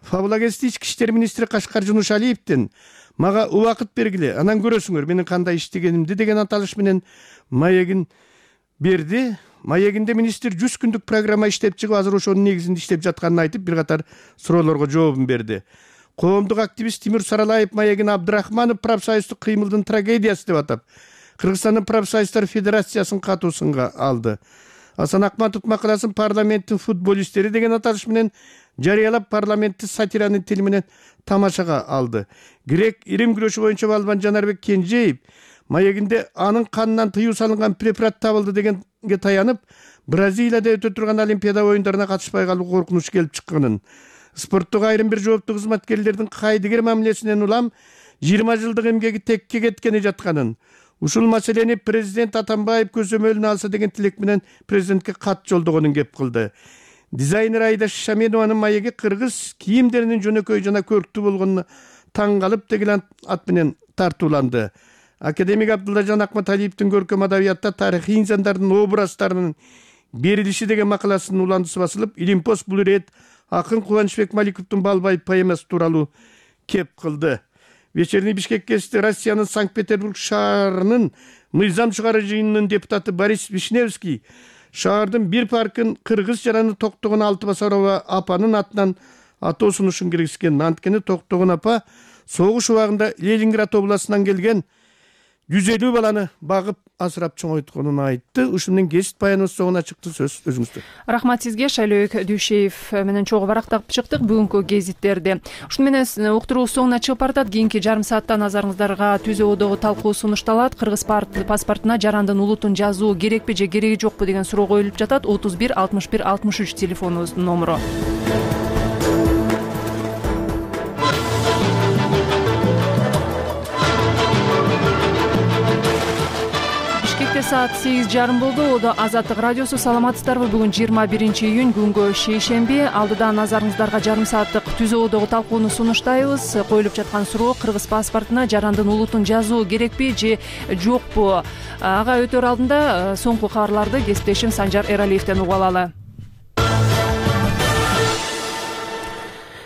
Фабулагести ички иштер министри Кашкар Жунушалиевдин мага убакыт бергиле, анан көрөсүңөр менин кандай иштегенимди деген аталыш менен маегин берди. Маегинде министр 100 күндүк программа иштеп чыгып, азыр ошонун негизинде иштеп жатканын айтып, бир катар суроолорго жообун берди. Коомдук активист Тимур Саралаев маегин Абдрахманов профсоюздук кыймылдын трагедиясы деп атап, Кыргызстандын профсоюздар федерациясын катуу сынга алды. Асан Акматов макаласын парламенттин футболисттери деген аталыш менен жарыялап, парламентти сатиранын тили менен тамашага алды. Грек ирим күрөшү боюнча балбан Жанарбек Кенжеев маегинде анын канынан тыюу салынган препарат табылды дегенге таянып, Бразилияда өтө турган Олимпиада оюндарына катышпай калуу коркунучу келип чыкканын, спорттук айрым бир жооптуу кызматкерлердин кайдыгер мамилесинен улам 20 жылдык эмгеги текке кеткени жатканын, ушул маселени президент Атамбаев көзөмөлүнө алса деген тилек менен президентке кат жолдогонун кеп кылды. Дизайнер Айда Шаменованын маеги кыргыз кийимдеринин жөнөкөй жана көрктүү болгонуна таң калып деген ат менен тартууланды. Академик Абдуллажан Акматалиевдин көркөм адабиятта тарыхый инсандардын образдарынын берилиши деген макаласынын уландысы басылып, Илимпоз бул ирет акын Кубанычбек Маликовдун Балбай поэмасы тууралуу кеп кылды. Вечерний Бишкек гезити Россиянын Санкт-Петербург шаарынын мыйзам чыгаруу жыйынынын депутаты Борис Вишневский шаардын бир паркын кыргыз жараны Токтогон Алтыбасарова апанын атынан атоо сунушун киргизген. Анткени Токтогон апа согуш убагында Ленинград областынан келген 150 баланы багып асырап чоңойтконун айтты. Ушун менен гезит баяныбыз соңуна чыкты. Сөз өзүңүздө. Рахмат сизге. Шайлөөк Дүйшеев менен чогуу барактап чыктык бүгүнкү гезиттерди. Ушун менен уктуруу соңуна чыгып баратат. Кийинки жарым саатта назарыңыздарга Түзө Одогу талкуу сунушталат. Кыргыз паспортуна жарандын улутун жазуу керекпи же кереги жокпу деген суроо коюлуп жатат. 31 61 63 телефонубуздун номуру. Саат 8:30 болду. Одо Азаттык радиосу. Саламатсыздарбы? Бүгүн 21 июнь, күнгө шейшемби. Алдыда назарыңыздарга жарым сааттык Түзө Одогу талкууну сунуштайбыз. Коюлуп жаткан суроо: кыргыз паспортуна жарандын улутун жазуу керекпи же жокпу? Ага өтөр алдында соңку кабарларды кесиптешим Санжар Эралиевден угуп алалы.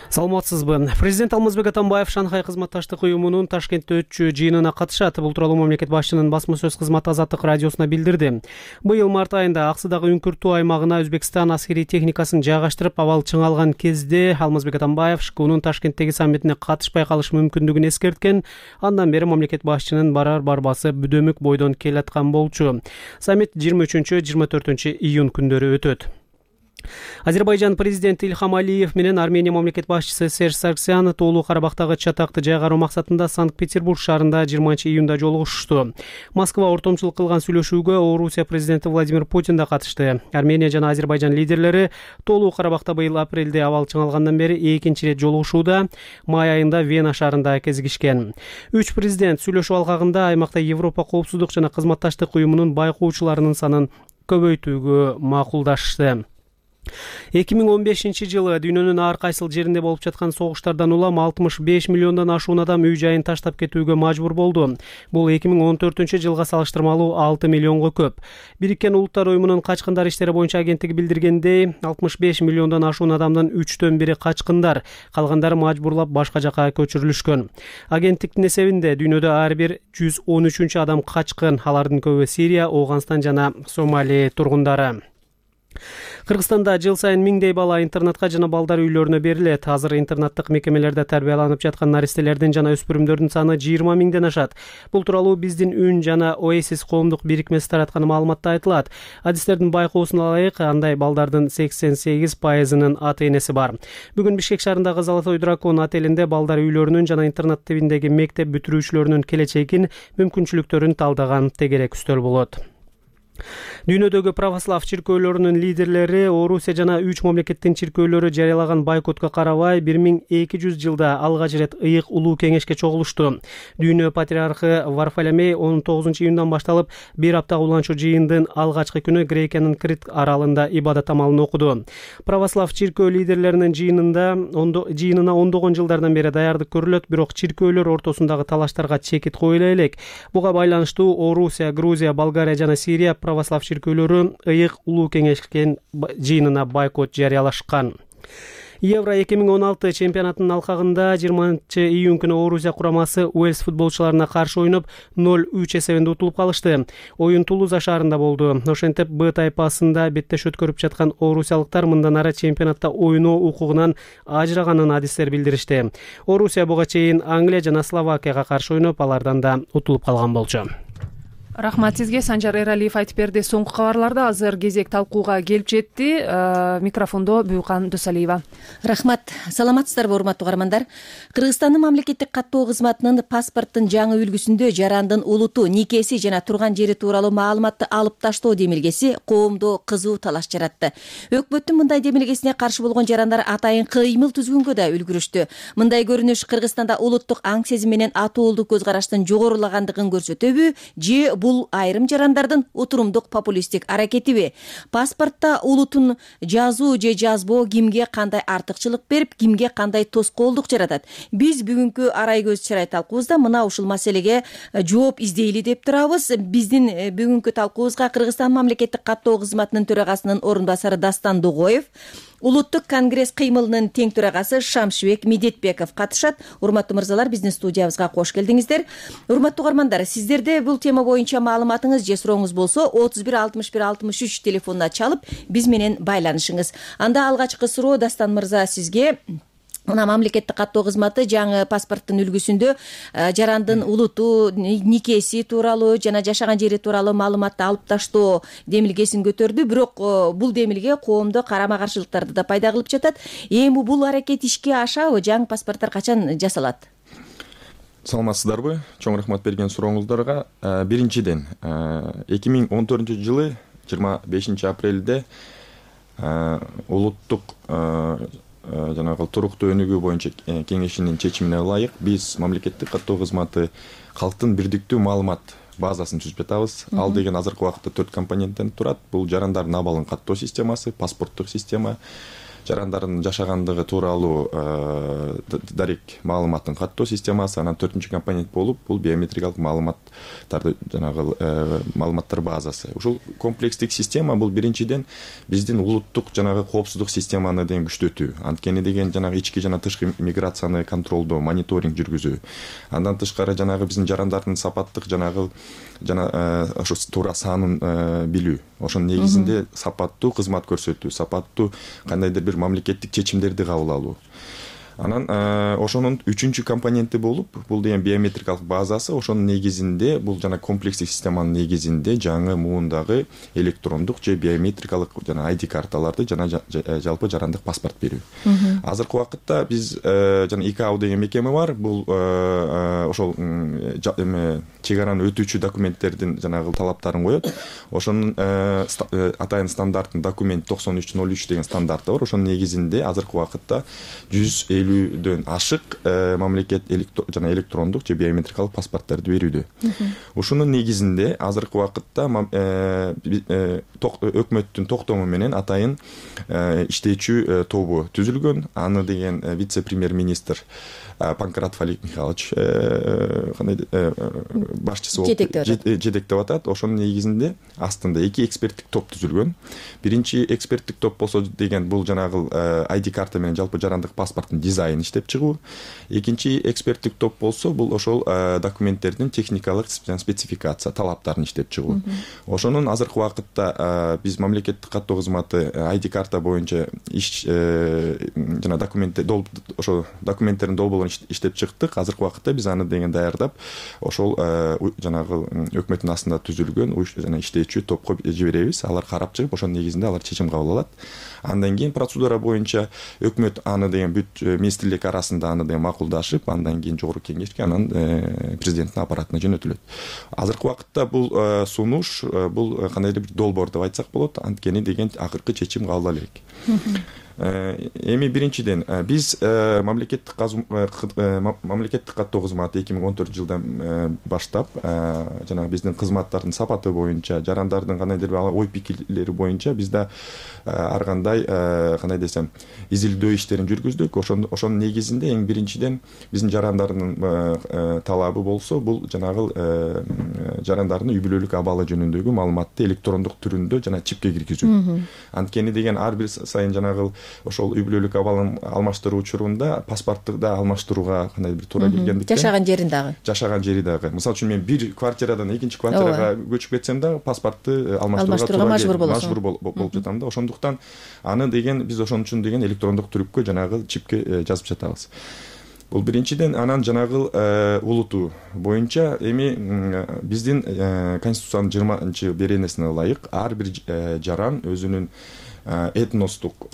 Саламатсызбы? Президент Алмазбек Атамбаев Шанхай кызматташтык уюмунун Ташкентте өтчү жыйынына катышат. Бул тууралуу мамлекет башчынын басма сөз кызматы Азаттык радиосуна билдирди. Быйыл март айында Аксыдагы Үңкүртүү аймагына Өзбекстан аскерий техникасын жайгаштырып, абал чыңалган кезде Алмазбек Атамбаев ШКУнун Ташкенттеги саммитине катышпай калыш мүмкүндүгүн эскерткен. Андан бери мамлекет башчынын барар-барбасы бүдөмүк бойдон келаткан болчу. Саммит 23-24 июнь күндөрү өтөт. Азербайжан президенти Ильхам Алиев менен Армения мамлекет башчысы Серж Саргсян Тоолуу Карабактагы чатакты жайгаруу максатында Санкт-Петербург шаарында 20 июнда жолугушту. Москва ортомчулук кылган сүйлөшүүгө Орусия президенти Владимир Путин да катышты. Армения жана Азербайжан лидерлери Тоолуу Карабакта быйыл апрелде абал чыңалгандан бери экинчи ирет жолугушууда. Май айында Вена шаарында кезигишкен. Үч президент сүйлөшүү алкагында аймакта Европа коопсуздук жана кызматташтык уюмунун байкоочуларынын санын көбөйтүүгө макулдашты. 2015 жылы дүйнөнүн ар кайсыл жеринде болуп жаткан согуштардан улам 65 миллиондон ашуун адам үй жайын таштап кетүүгө мажбур болду. Бул 2014 жылга салыштырмалуу 6 миллионго көп. Бириккен Улуттар уюмунун качкындар иштери боюнча агенттиги билдиргендей, 65 миллиондон ашуун адамдын 3/4 качкындар, калгандары мажбурлап башка жака көчүрүлүшкөн. Агенттиктин эсебинде дүйнөдө ар бир 113 адам качкын, алардын көбү Сирия, Ооганстан жана Сомали тургундары. Кыргызстанда жыл сайын миңдей бала интернатка жана балдар үйлөрүнө берилет. Азыр интернаттык мекемелерде тарбияланып жаткан наристелердин жана өспүрүмдөрдүн саны 20 миңден ашат. Бул тууралуу биздин Үн жана Oasis коомдук бирикмеси тараткан маалыматта айтылат. Адистердин байкоосуна ылайык, андай балдардын 88%-нын ата-энеси бар. Бүгүн Бишкек шаарындагы Золотой дракон отелинде балдар үйлөрүнүн жана интернат тибиндеги мектеп бүтүрүүчүлөрүнүн келечегин, мүмкүнчүлүктөрүн талдаган тегерек үстөл болот. Дүйнөдөгү православ чиркөөлөрүнүн лидерлери Орусия жана 3 мамлекеттин чиркөөлөрү жарыялаган байкотко карабай 1200 жылда алгач ирет ыйык улуу кеңешке чогулушту. Дүйнө патриархы Варфоломей 19 июндан башталып бир апта уланчу жыйындын алгачкы күнү Грекиянын Крит аралында ибадат амалын окуду. Православ чиркөө лидерлеринин жыйынына ондогон жылдардан бери даярдык көрүлөт, бирок чиркөөлөр ортосундагы талаштарга чекит коюла элек. Буга байланыштуу Орусия, Грузия, Болгария жана Сирия православ чиркөөлөрү ыйык улуу кеңешкен жыйынына байкот жарыялашкан. Евро 2016 чемпионатынын алкагында 20 июнь күнү Орусия курамасы Уэльс футболчуларына каршы ойноп 0-3 эсебинде утулуп калышты. Оюн Тулуза шаарында болду. Ошентип Б тайпасында беттеш өткөрүп жаткан орусиялыктар мындан ары чемпионатта ойноо укугунан ажыраганын адистер билдиришти. Орусия буга чейин Англия жана Словакияга каршы ойноп, алардан да утулуп калган болчу. Рахмат сизге. Санжар Эралиев айтып берди. Соңку кабарларда азыр кезек талкууга келип жетти. Микрофондо Бүйкан Досалиева. Рахмат. Саламатсыздарбы, урматтуу каармандар. Кыргызстандын мамлекеттик каттоо кызматынын паспорттун жаңы үлгүсүндө жарандын улуту, никеси жана турган жери тууралуу маалыматты алып таштоо демилгеси коомдо кызуу талаш жаратты. Өкмөттүн мындай демилгесине каршы болгон жарандар атайын кыймыл түзгөнгө да үлгүрүштү. Мындай көрүнүш Кыргызстанда улуттук аң сезим менен атуулдуу көз караштын жогорулагандыгын көрсөтөбү же бул айрым жарандардын утурумдук популисттик аракетиби? Паспортто улутун жазуу же жазбоо кимге кандай артыкчылык берип, кимге кандай тоскоолдук жаратат? Биз бүгүнкү арай көз чарай талкуубузда мына ушул маселеге жооп издейли деп турабыз. Биздин бүгүнкү талкуубузга Кыргызстан мамлекеттик каттоо кызматынын төрагасынын орун басары Дастан Дугоев, Улуттук конгресс кыймылынын тең төрагасы Шамшыбек Медетбеков катышат. Урматтуу мырзалар, биздин студиябызга кош келдиңиздер. Урматтуу угармандар, сиздерде бул тема боюнча маалыматыңыз же сурооңуз болсо 31 61 63 телефонуна чалып биз менен байланышыңыз. Анда алгачкы суроо Дастан мырза сизге. Мына мамлекеттик каттоо кызматы жаңы паспорттун үлгүсүндө жарандын улуту, никеси тууралуу жана жашаган жери тууралуу маалыматты алып таштоо демилгесин көтөрдү. Бирок бул демилге коомдо карама-каршылыктарды да пайда кылып жатат. Эми бул аракет ишке ашабы? Жаңы паспорттор качан жасалат? Саламатсыздарбы? Чоң рахмат берген сурооңуздарга. Биринчиден, 2014-жылы 25 апрелде улуттук жанагы туруктуу өнүгүү боюнча кеңешинин чечимине ылайык биз мамлекеттик каттоо кызматы калктын бирдиктүү маалымат базасын түзүп жатабыз. Ал деген азыркы убакытта 4 компоненттен турат. Бул жарандардын абалын каттоо системасы, паспорттук система, жарандардын жашагандыгы тууралуу дарек маалыматтын каттоо системасы, анан 4-чү компонент болуп бул биометрикалык маалыматтарды жанагы маалыматтар базасы. Ушул комплекстик система бул биринчиден биздин улуттук жанагы коопсуздук системаны деген күчтөтүү. Анткени деген жанагы ички жана тышкы миграцияны контролдоо, мониторинг жүргүзүү. Андан тышкары жанагы биздин жарандардын сапаттык жанагы ошо туура санын билүү. Ошонун негизинде сапаттуу кызмат көрсөтүү, сапаттуу кандайдыр бир мамлекеттик чечимдерди кабыл алуу. Анан ошонун 3-чү компоненти болуп, бул деген биометрикалык базасы. Ошонун негизинде бул жана комплекстик системанын негизинде жаңы муундагы электрондук же биометрикалык жана ID карталарды жана жалпы жарандык паспорт берүү. Азыркы убакытта биз жана ИКАО деген мекеме бар. Бул ошол чек араны өтүүчү документтердин жанагы талаптарын коет. Ошонун атайын стандарттын документ 9303 деген стандарты бар. Ошонун негизинде азыркы убакытта 150дөн ашык мамлекет жана электрондук же биометрикалык паспорттарды берүүдө. Ушунун негизинде азыркы убакытта өкмөттүн токтому менен атайын иштечү тобу түзүлгөн. Аны деген вице-премьер-министр Панкратов Олег Михайлович башчысы болуп жетектеп атат. Ошонун негизинде астында 2 эксперттик топ түзүлгөн. Биринчи эксперттик топ болсо деген бул жанагы ID карта менен жалпы жарандык паспорттун дизайнын иштеп чыгуу. Экинчи эксперттик топ болсо бул ошол документтердин техникалык спецификация талаптарын иштеп чыгуу. Ошонун азыркы убакытта биз мамлекеттик каттоо кызматы ID карта боюнча иш жана ошо документтердин долбоорун иштеп чыктык. Азыркы убакытта биз аны деген даярдап, ошол жанагы өкмөттүн астында түзүлгөн жана иштечү топко жиберебиз. Алар карап чыгып, ошонун негизинде алар чечим кабыл алат. Андан кийин процедура боюнча өкмөт аны деген бүт министрлик арасында аны деген макулдашып, андан кийин жогорку кеңешке, анан президенттин аппаратына жөнөтүлөт. Азыркы убакытта бул сунуш, бул кандайдыр бир долбоор деп айтсак болот. Анткени деген акыркы чечим кабыл алып элек. Эми биринчиден биз мамлекеттик каттоо кызматы 2014-жылдан баштап жанагы биздин кызматтардын сапаты боюнча, жарандардын кандайдыр бир ой пикирлери боюнча бизде ар кандай кандай десем изилдөө иштерин жүргүздүк. Ошонун негизинде эң биринчиден биздин жарандардын талабы болсо бул жанагы жарандардын үй бүлөлүк абалы жөнүндөгү маалыматты электрондук түрүндө жана чипке киргизүү. Анткени деген ар бир сайын жанагы ошол үй бүлөлүк абалын алмаштыруу учурунда паспортту да алмаштырууга кандай бир туура келгендиктен жашаган жери дагы. Мисалы үчүн мен бир квартирадан экинчи квартирага көчүп кетсем да паспортту алмаштырууга мажбур болуп жатам да. Ошондуктан аны деген биз ошон үчүн деген электрондук түрүпкө жанагы чипке жазып жатабыз. Бул биринчиден. Анан жанагы улуту боюнча эми биздин Конституциянын 20-беренесине ылайык ар бир жаран өзүнүн этностук,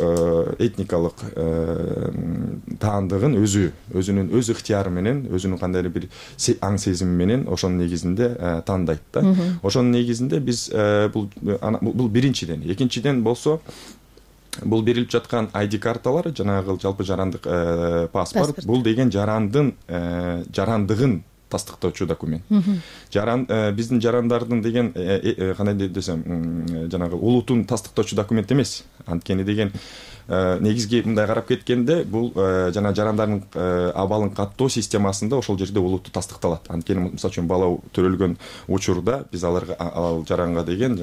этникалык таандыгын өзүнүн өз ыктыяры менен, өзүнүн кандайдыр бир аң сезими менен ошонун негизинде тандайт да. Ошонун негизинде биз бул биринчиден. Экинчиден болсо бул берилип жаткан ID карталар жанагы жалпы жарандык паспорт. Бул деген жарандыгын тастыктоочу документ. Биздин жарандардын деген кандай десем жанагы улутун тастыктоочу документ эмес. Анткени деген негизги мындай карап кеткенде бул жана жарандардын абалын каттоо системасында ошол жерде улутту тастыкталат. Анткени мисалы үчүн бала төрөлгөн учурда биз аларга ал жаранга деген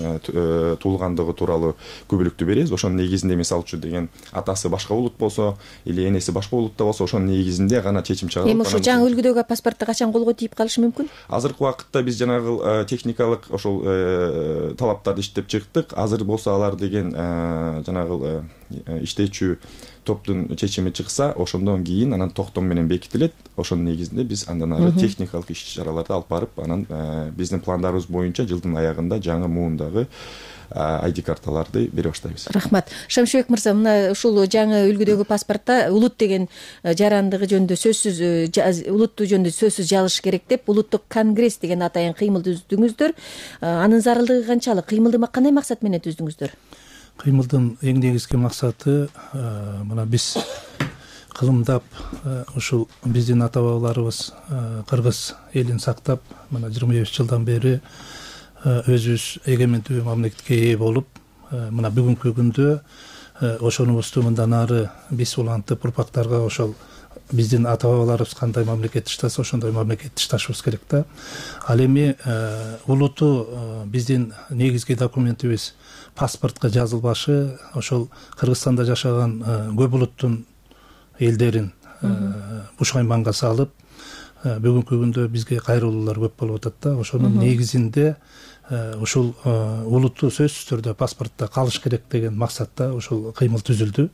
туулгандыгы тууралуу күбөлүктү беребиз. Ошонун негизинде мисалы үчүн деген атасы башка улут болсо или энеси башка улутта болсо ошонун негизинде гана чечим чыгарылат. Эми ошо жаңы үлгүдөгү паспортто качан колго тийип калышы мүмкүн? Азыркы убакытта биз жанагы техникалык ошол талаптарды иштеп чыктык. Азыр болсо алар деген жанагы иштечү топтун чечими чыкса, ошондон кийин анан токтом менен бекитилет. Ошонун негизинде биз андан ары техникалык иш-чараларды алып барып, анан биздин пландарыбыз боюнча жылдын аягында жаңы муундагы ID карталарды бере баштайбыз. Рахмат. Шамшыбек мырза, мына ушул жаңы үлгүдөгү паспортто улут деген жарандыгы жөнүндө сөзсүз, улутту жөнүндө сөзсүз жазыш керек деп улуттук конгресс деген атайын кыймыл түздүңүздөр. Анын зарылдыгы канчалык? Кыймылды кандай максат менен түздүңүздөр? Кыймылдын эң негизги максаты мына биз кылымдап ушул биздин ата бабаларыбыз кыргыз элин сактап мына 25 жылдан бери өзүбүз эгемендүү мамлекетке ээ болуп, мына бүгүнкү күндө ошонубузду мындан ары биз улантып урпактарга ошол биздин ата бабаларыбыз кандай мамлекет иштаса, ошондой мамлекет ишташыбыз керек да. Ал эми улуту биздин негизги документибиз паспортко жазылбашы ошол Кыргызстанда жашаган көп улуттун элдерин буш айманга салып, бүгүнкү күндө бизге кайрылуулар көп болуп атат да. Ошонун негизинде ушул улутту сөзсүз түрдө паспортто калыш керек деген максатта ушул кыймыл түзүлдү.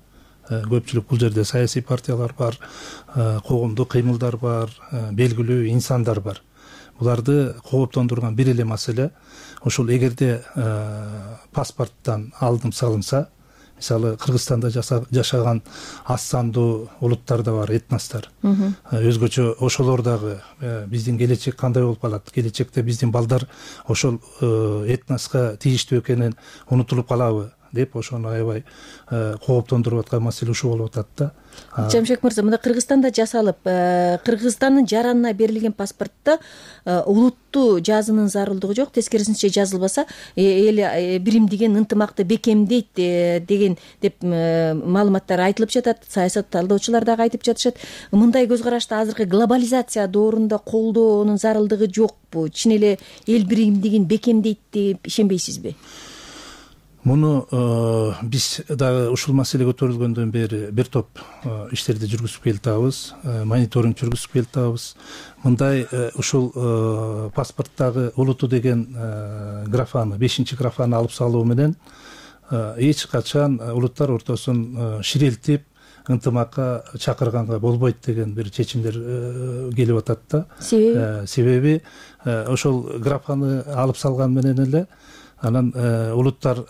Көпчүлүк бул жерде саясий партиялар бар, коомдук кыймылдар бар, белгилүү инсандар бар. Буларды кооптондурган бир эле маселе ушул эгерде паспорттон алдым салынса, мисалы Кыргызстанда жашаган аз сандуу улуттар да бар, этностор. Өзгөчө ошолор дагы биздин келечек кандай болуп калат? Келечекте биздин балдар ошол этноска тийиштүү экенин унутулуп калабы деп ошону аябай кооптондуруп аткан маселе ушул болуп атат да. Жамшек мырза, мына Кыргызстанда жасалып, Кыргызстандын жаранына берилген паспортто улутту жазуунун зарылдыгы жок, тескерисинче жазылбаса эл биримдигин ынтымакты бекемдейт деген деп маалыматтар айтылып жатат. Саясат талдоочулар дагы айтып жатышат. Мындай көз карашты азыркы глобализация доорунда колдоонун зарылдыгы жокпу? Чын эле эл биримдигин бекемдейт деп ишенбейсизби? Муну биз дагы ушул маселе көтөрүлгөндөн бери бир топ иштерди жүргүзүп келатабыз, мониторинг жүргүзүп келатабыз. Мындай ушул паспорттагы улуту деген графаны, 5-чи графаны алып салуу менен эч качан улуттар ортосун ширелтип, ынтымакка чакырганга болбойт деген бир чечимдер келип атат да. Себеби ошол графаны алып салган менен эле анан улуттар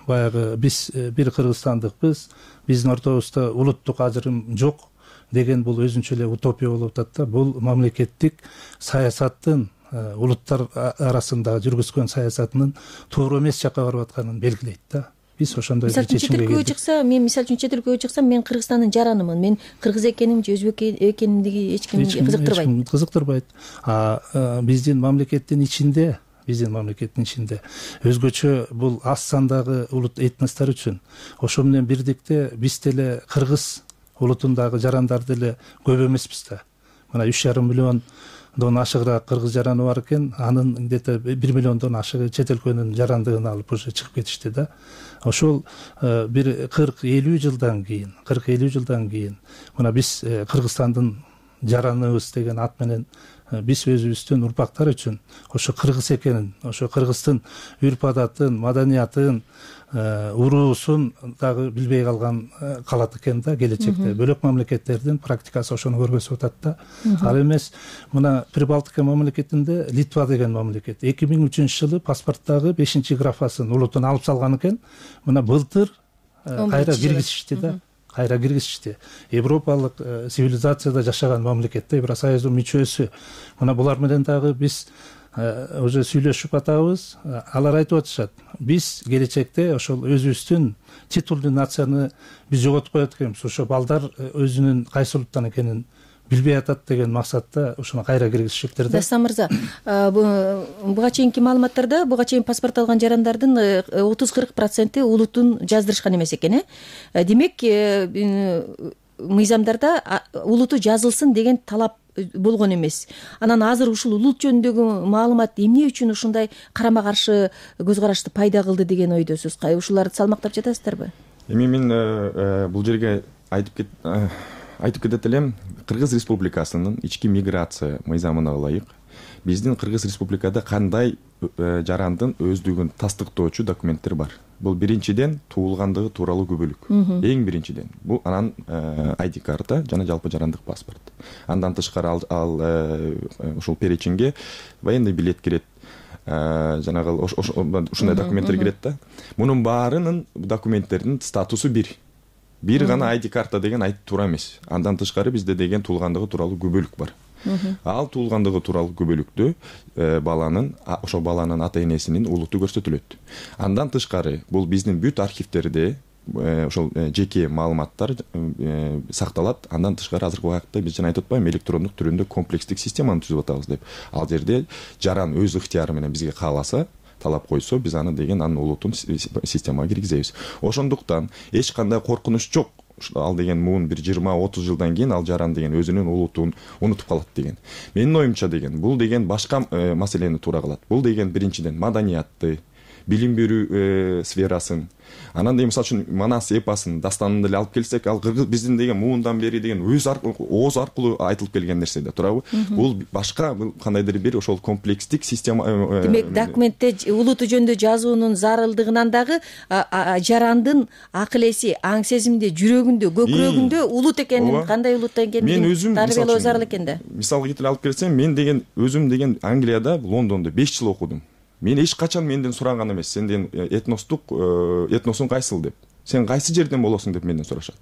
баягы биз бир кыргызстандыкпыз, биздин ортобузда улуттук ажырым жок деген бул өзүнчө эле утопия болуп атат да. Бул мамлекеттик саясаттын улуттар арасында жүргүзгөн саясатынын туура эмес жакка барып атканын белгилейт да. Биз ошондой бир чечимге келдик. Мен мисалы үчүн чет өлкөгө чыксам, мен Кыргызстандын жаранымын. Мен кыргыз экеним же өзбек экенимдиги эч кимди кызыктырбайт. Кызыктырбайт. Биздин мамлекеттин ичинде өзгөчө бул аз сандагы улут этностор үчүн ошо менен бирдикте биз деле кыргыз улутундагы жарандар деле көп эмеспиз да. Мына 3,5 миллиондон ашыгыраак кыргыз жараны бар экен, анын где-то 1 миллиондон ашыгы чет өлкөнүн жарандыгын алып уже чыгып кетишти да. Ошол бир 40-50 жылдан кийин мына биз Кыргызстандын жараныбыз деген ат менен биз өзүбүздүн урпактар үчүн ошо кыргыз экенин, ошо кыргыздын үрп адатын, маданиятын, уруусун дагы билбей калат экен да келечекте. Бөлөк мамлекеттердин практикасы ошону көргөзүп атат да. Ал эмес мына Прибалтика мамлекетинде Литва деген мамлекет 2003 жылы паспорттагы 5-чи графасын улутун алып салган экен. Мына былтыр кайра киргизишти да. Европалык цивилизацияда жашаган мамлекетте Евросоюздун мүчөсү. Мына булар менен дагы биз уже сүйлөшүп атабыз. Алар айтып атышат. Биз келечекте ошол өзүбүздүн титулдуу нацияны биз жоготуп коет экенбиз. Ошо балдар өзүнүн кайсы улуттан экенин билбей атат деген максатта ушуну кайра киргизишиптир да. Дастан мырза, буга чейинки маалыматтарда буга чейин паспорт алган жарандардын 30-40% улутун жаздырышкан эмес экен. Демек мыйзамдарда улуту жазылсын деген талап болгон эмес. Анан азыр ушул улут жөнүндөгү маалымат эмне үчүн ушундай карама каршы көз карашты пайда кылды деген ойдосуз? Ушуларды салмактап жатасыздарбы? Эми мен бул жерге айтып кетет элем, Кыргыз Республикасынын ички миграция мыйзамына ылайык биздин Кыргыз Республикада кандай жарандын өздүгүн тастыктоочу документтер бар. Бул биринчиден туулгандыгы тууралуу күбөлүк. Эң биринчиден бул анан ID карта жана жалпы жарандык паспорт. Андан тышкары ал ушул перечинге военный билет кирет. Жанагы ушундай документтер кирет да. Мунун баарынын документтердин статусу бир гана ID карта деген айтып туура эмес. Андан тышкары бизде деген туулгандыгы тууралуу күбөлүк бар. Ал туулгандыгы тууралуу күбөлүктү ошол баланын ата энесинин улуту көрсөтүлөт. Андан тышкары бул биздин бүт архивтерде ошол жеке маалыматтар сакталат. Андан тышкары азыркы убакытта биз жана айтып атпаймынбы, электрондук түрүндө комплекстик системаны түзүп атабыз деп. Ал жерде жаран өз ыктыяры менен бизге кааласа, талап койсо, биз аны деген анын улутун системага киргизебиз. Ошондуктан эч кандай коркунуч жок. Ал деген муун бир 20-30 жылдан кийин ал жаран деген өзүнүн улутун унутуп калат деген. Менин оюмча деген бул деген башка маселени туура кылат. Бул деген биринчиден маданиятты, билим берүү сферасын, анан деген мисалы үчүн Манас эпосын, дастанын деле алып келсек, ал кыргыз биздин деген муундан бери деген ооз аркылуу айтылып келген нерсе да, туурабы? Бул башка кандайдыр бир ошол комплекстик система. Демек, документте улуту жөнүндө жазуунун зарылдыгынан дагы жарандын акыл эси, аң сезимде, жүрөгүндө, көкүрөгүндө улут экенин, кандай улут экенин тарбиялоо зарыл экен да. Мисалга келтире алып келсем, мен деген өзүм деген Англияда, Лондондо 5 жыл окудум. Мен эч качан менден сураган эмес, сенден этносуң кайсыл деп. Сен кайсы жерден болосуң деп менден сурашат.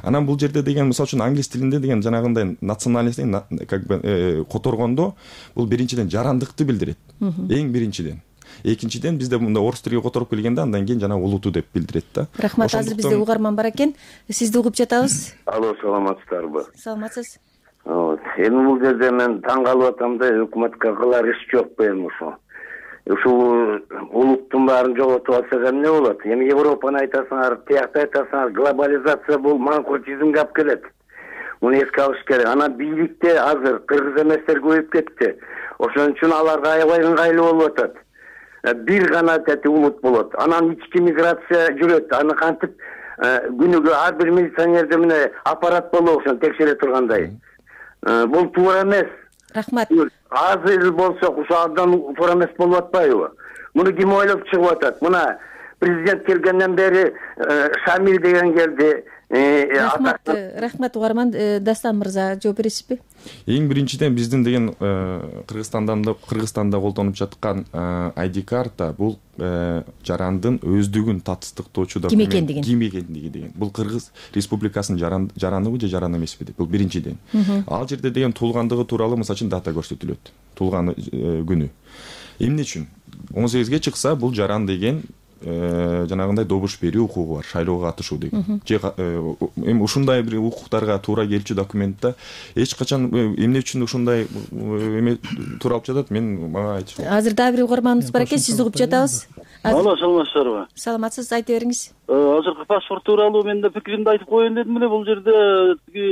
Анан бул жерде деген мисалы үчүн англис тилинде деген жанагындай национальность как бы которгондо бул биринчиден жарандыкты билдирет. Эң биринчиден. Экинчиден бизде мында орус тилиге которуп келгенде андан кийин жана улуту деп билдирет да. Рахмат, азыр бизде угарман бар экен. Сизди угуп жатабыз. Алло, саламатсыздарбы? Саламатсыз. Эми бул жерде мен таң калып атам да, өкмөткө кылар иш жокпу эми ошо. Ушул улуттун баарын жоготуп алсак эмне болот? Эми Европаны айтасыңар, тиякты айтасыңар, глобализация бул манкуртизмге алып келет. Муну эске алыш керек. Анан бийликте азыр кыргыз эместер көбөйүп кетти. Ошон үчүн аларга аябай ыңгайлуу болуп атат. Бир гана улут болот. Анан ички миграция жүрөт. Аны кантип күнүгө ар бир милиционерде мына аппарат болобу ошону текшере тургандай. Бул туура эмес. Рахмат. Азыр болсок ушул абдан туура эмес болуп атпайбы? Муну ким ойлоп чыгып атат? Мына президент келгенден бери Шамил деген келди. Рахмат угарман. Дастан мырза, жооп бересизби? Эң биринчиден биздин деген Кыргызстанда колдонуп жаткан ID карта бул жарандын өздүгүн тастыктоочу документ. Ким экендиги деген. Бул Кыргыз Республикасынын жараныбы же жаран эмеспи деп. Бул биринчиден. Ал жерде деген туулгандыгы тууралуу мисалы үчүн дата көрсөтүлөт. Туулган күнү. Эмне үчүн? 18ге чыкса бул жаран деген жанагындай добуш берүү укугу бар, шайлоого катышуу деген. Эми ушундай бир укуктарга туура келчү документте эч качан эмне үчүн ушундай эме туура алып жатат, мен мага айтыш. Азыр дагы бир угарманыбыз бар экен, сизди угуп жатабыз. Алло, саламатсыздарбы? Саламатсыз, айта бериңиз. Азыркы паспорт тууралуу мен да пикиримди айтып коеюн дедим эле. Бул жерде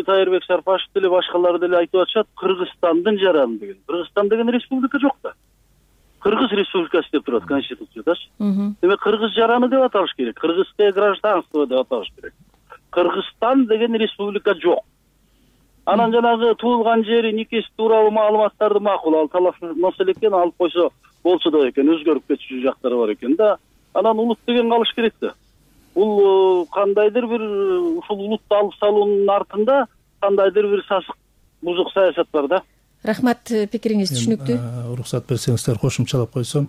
Тайырбек Сарпашев деле башкалар деле айтып атышат, Кыргызстандын жараны деген. Кыргызстан деген республика жок да. Кыргыз Республикасы деп турат конституциядачы. Демек кыргыз жараны деп аталыш керек. Кыргызское гражданство деп аталыш керек. Кыргызстан деген республика жок. Анан жанагы туулган жери, никеси тууралуу маалыматтарды макул ал талап маселе экен, алып койсо болсо да экен, өзгөрүп кетчү жактары бар экен да. Анан улут деген калыш керек да. Бул кандайдыр бир ушул улутту алып салуунун артында кандайдыр бир сасык бузук саясат бар да. Рахмат, пикириңиз түшүнүктүү. Уруксат берсеңиздер кошумчалап койсом,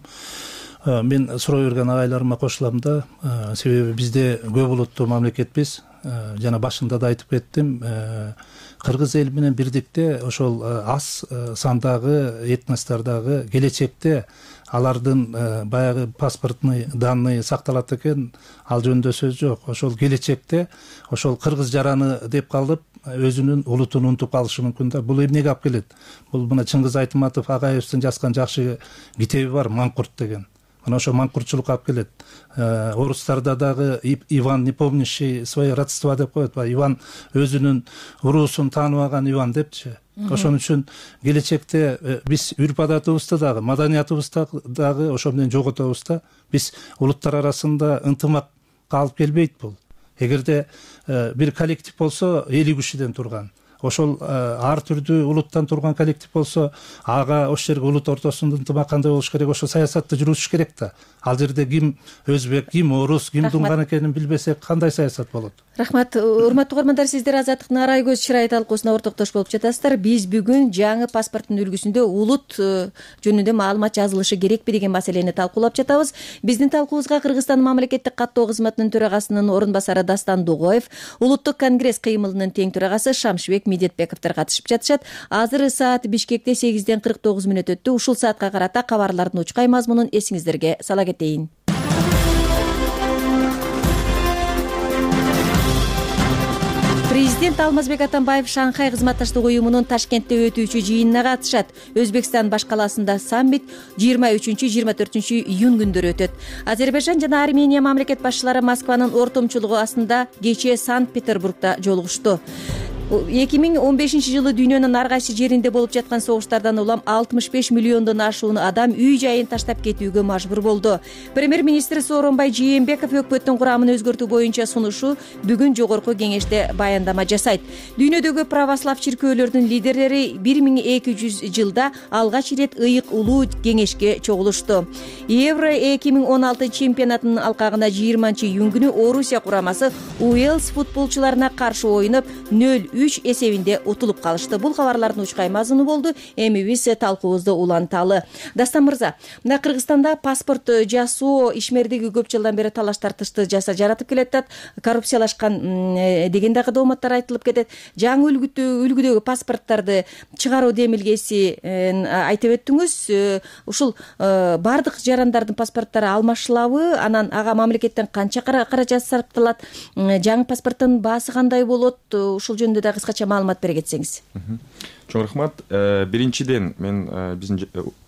мен суроо берген агайларыма кошулам да, себеби бизде көп улуттуу мамлекетпиз. Жана башында да айтып кеттим, кыргыз эл менен бирдикте ошол аз сандагы этностордогу келечекте алардын баягы паспортный данные сакталат экен, ал жөнүндө сөз жок. Ошол келечекте ошол кыргыз жараны деп калып, өзүнүн улутун унутуп калышы мүмкүн да. Бул эмнеге алып келет? Бул мына Чыңгыз Айтматов Агаевдин жазган жакшы китеби бар, Маңкурт деген. Мына ошо маңкуртчулукка алып келет. Орустарда дагы Иван, не помнящий свои родства деп коет. Иван өзүнүн уруусун тааныбаган Иван депчи. Ошон үчүн келечекте биз үрп адатыбызды дагы, маданиятыбызды дагы ошо менен жоготобуз да. Биз улуттар арасында ынтымакка алып келбейт бул. Эгерде бир коллектив болсо 50 кишиден турган, ошол ар түрдүү улуттан турган коллектив болсо ага ошол жерге улут ортосунда ынтымак кандай болуш керек, ошо саясатты жүргүзүш керек да. Ал жерде ким өзбек, ким орус, ким дунган экенин билбесек кандай саясат болот? Рахмат. Урматтуу угармандар, сиздер Азаттыктын Арай көз чырай талкуусуна ортоктош болуп жатасыздар. Биз бүгүн жаңы паспорттун үлгүсүндө улут жөнүндө маалымат жазылышы керекпи деген маселени талкуулап жатабыз. Биздин талкуубузга Кыргызстан мамлекеттик каттоо кызматынын төрагасынын орун басары Дастан Дугоев, Улуттук конгресс кыймылынын тең төрагасы Шамшыбек Медетбековдор катышып жатышат. Азыр саат Бишкекте 8:49 өттү. Ушул саатка карата кабарлардын учкай мазмунун эсиңиздерге сала кетейин. Президент Алмазбек Атамбаев Шанхай кызматташтык уюмунун Ташкентте өтүүчү жыйынына катышат. Өзбекстан баш калаасында саммит 23-24 июнь күндөрү өтөт. Азербайжан жана Армения мамлекет башчылары Москванын ортомчулугу астында кечээ Санкт-Петербургда жолугушту. 2015-жылы дүйнөнүн ар кайсы жеринде болуп жаткан согуштардан улам 65 миллиондон ашуун адам үй жайын таштап кетүүгө мажбур болду. Премьер-министр Сооронбай Жээнбеков өкмөттүн курамын өзгөртүү боюнча сунушу бүгүн жогорку кеңеште баяндама жасайт. Дүйнөдөгү православ чиркөөлөрдүн лидерлери 1200 жылда алгач ирет ыйык улуу кеңешке чогулушту. Евро 2016 чемпионатынын алкагына 20-июнь күнү Орусия курамасы Уэльс футболчуларына каршы оюнуп 0-3 эсебинде утулуп калышты. Бул кабарлардын учкай мазмуну болду. Эми биз талкуубузду уланталы. Дастан мырза, мына Кыргызстанда паспорт жасоо ишмердиги көп жылдан бери талаш тартышты жаратып келет. Коррупциялашкан деген дагы дооматтар айтылып кетет. Жаңы үлгүдөгү паспорттарды чыгаруу демилгеси айтып өттүңүз. Ушул бардык жарандардын паспорттары алмашылабы? Анан ага мамлекеттен канча каражат сарпталат? Жаңы паспорттун баасы кандай болот? Ушул жөнүндө да кыскача маалымат бере кетсеңиз. Чоң рахмат. Биринчиден мен биздин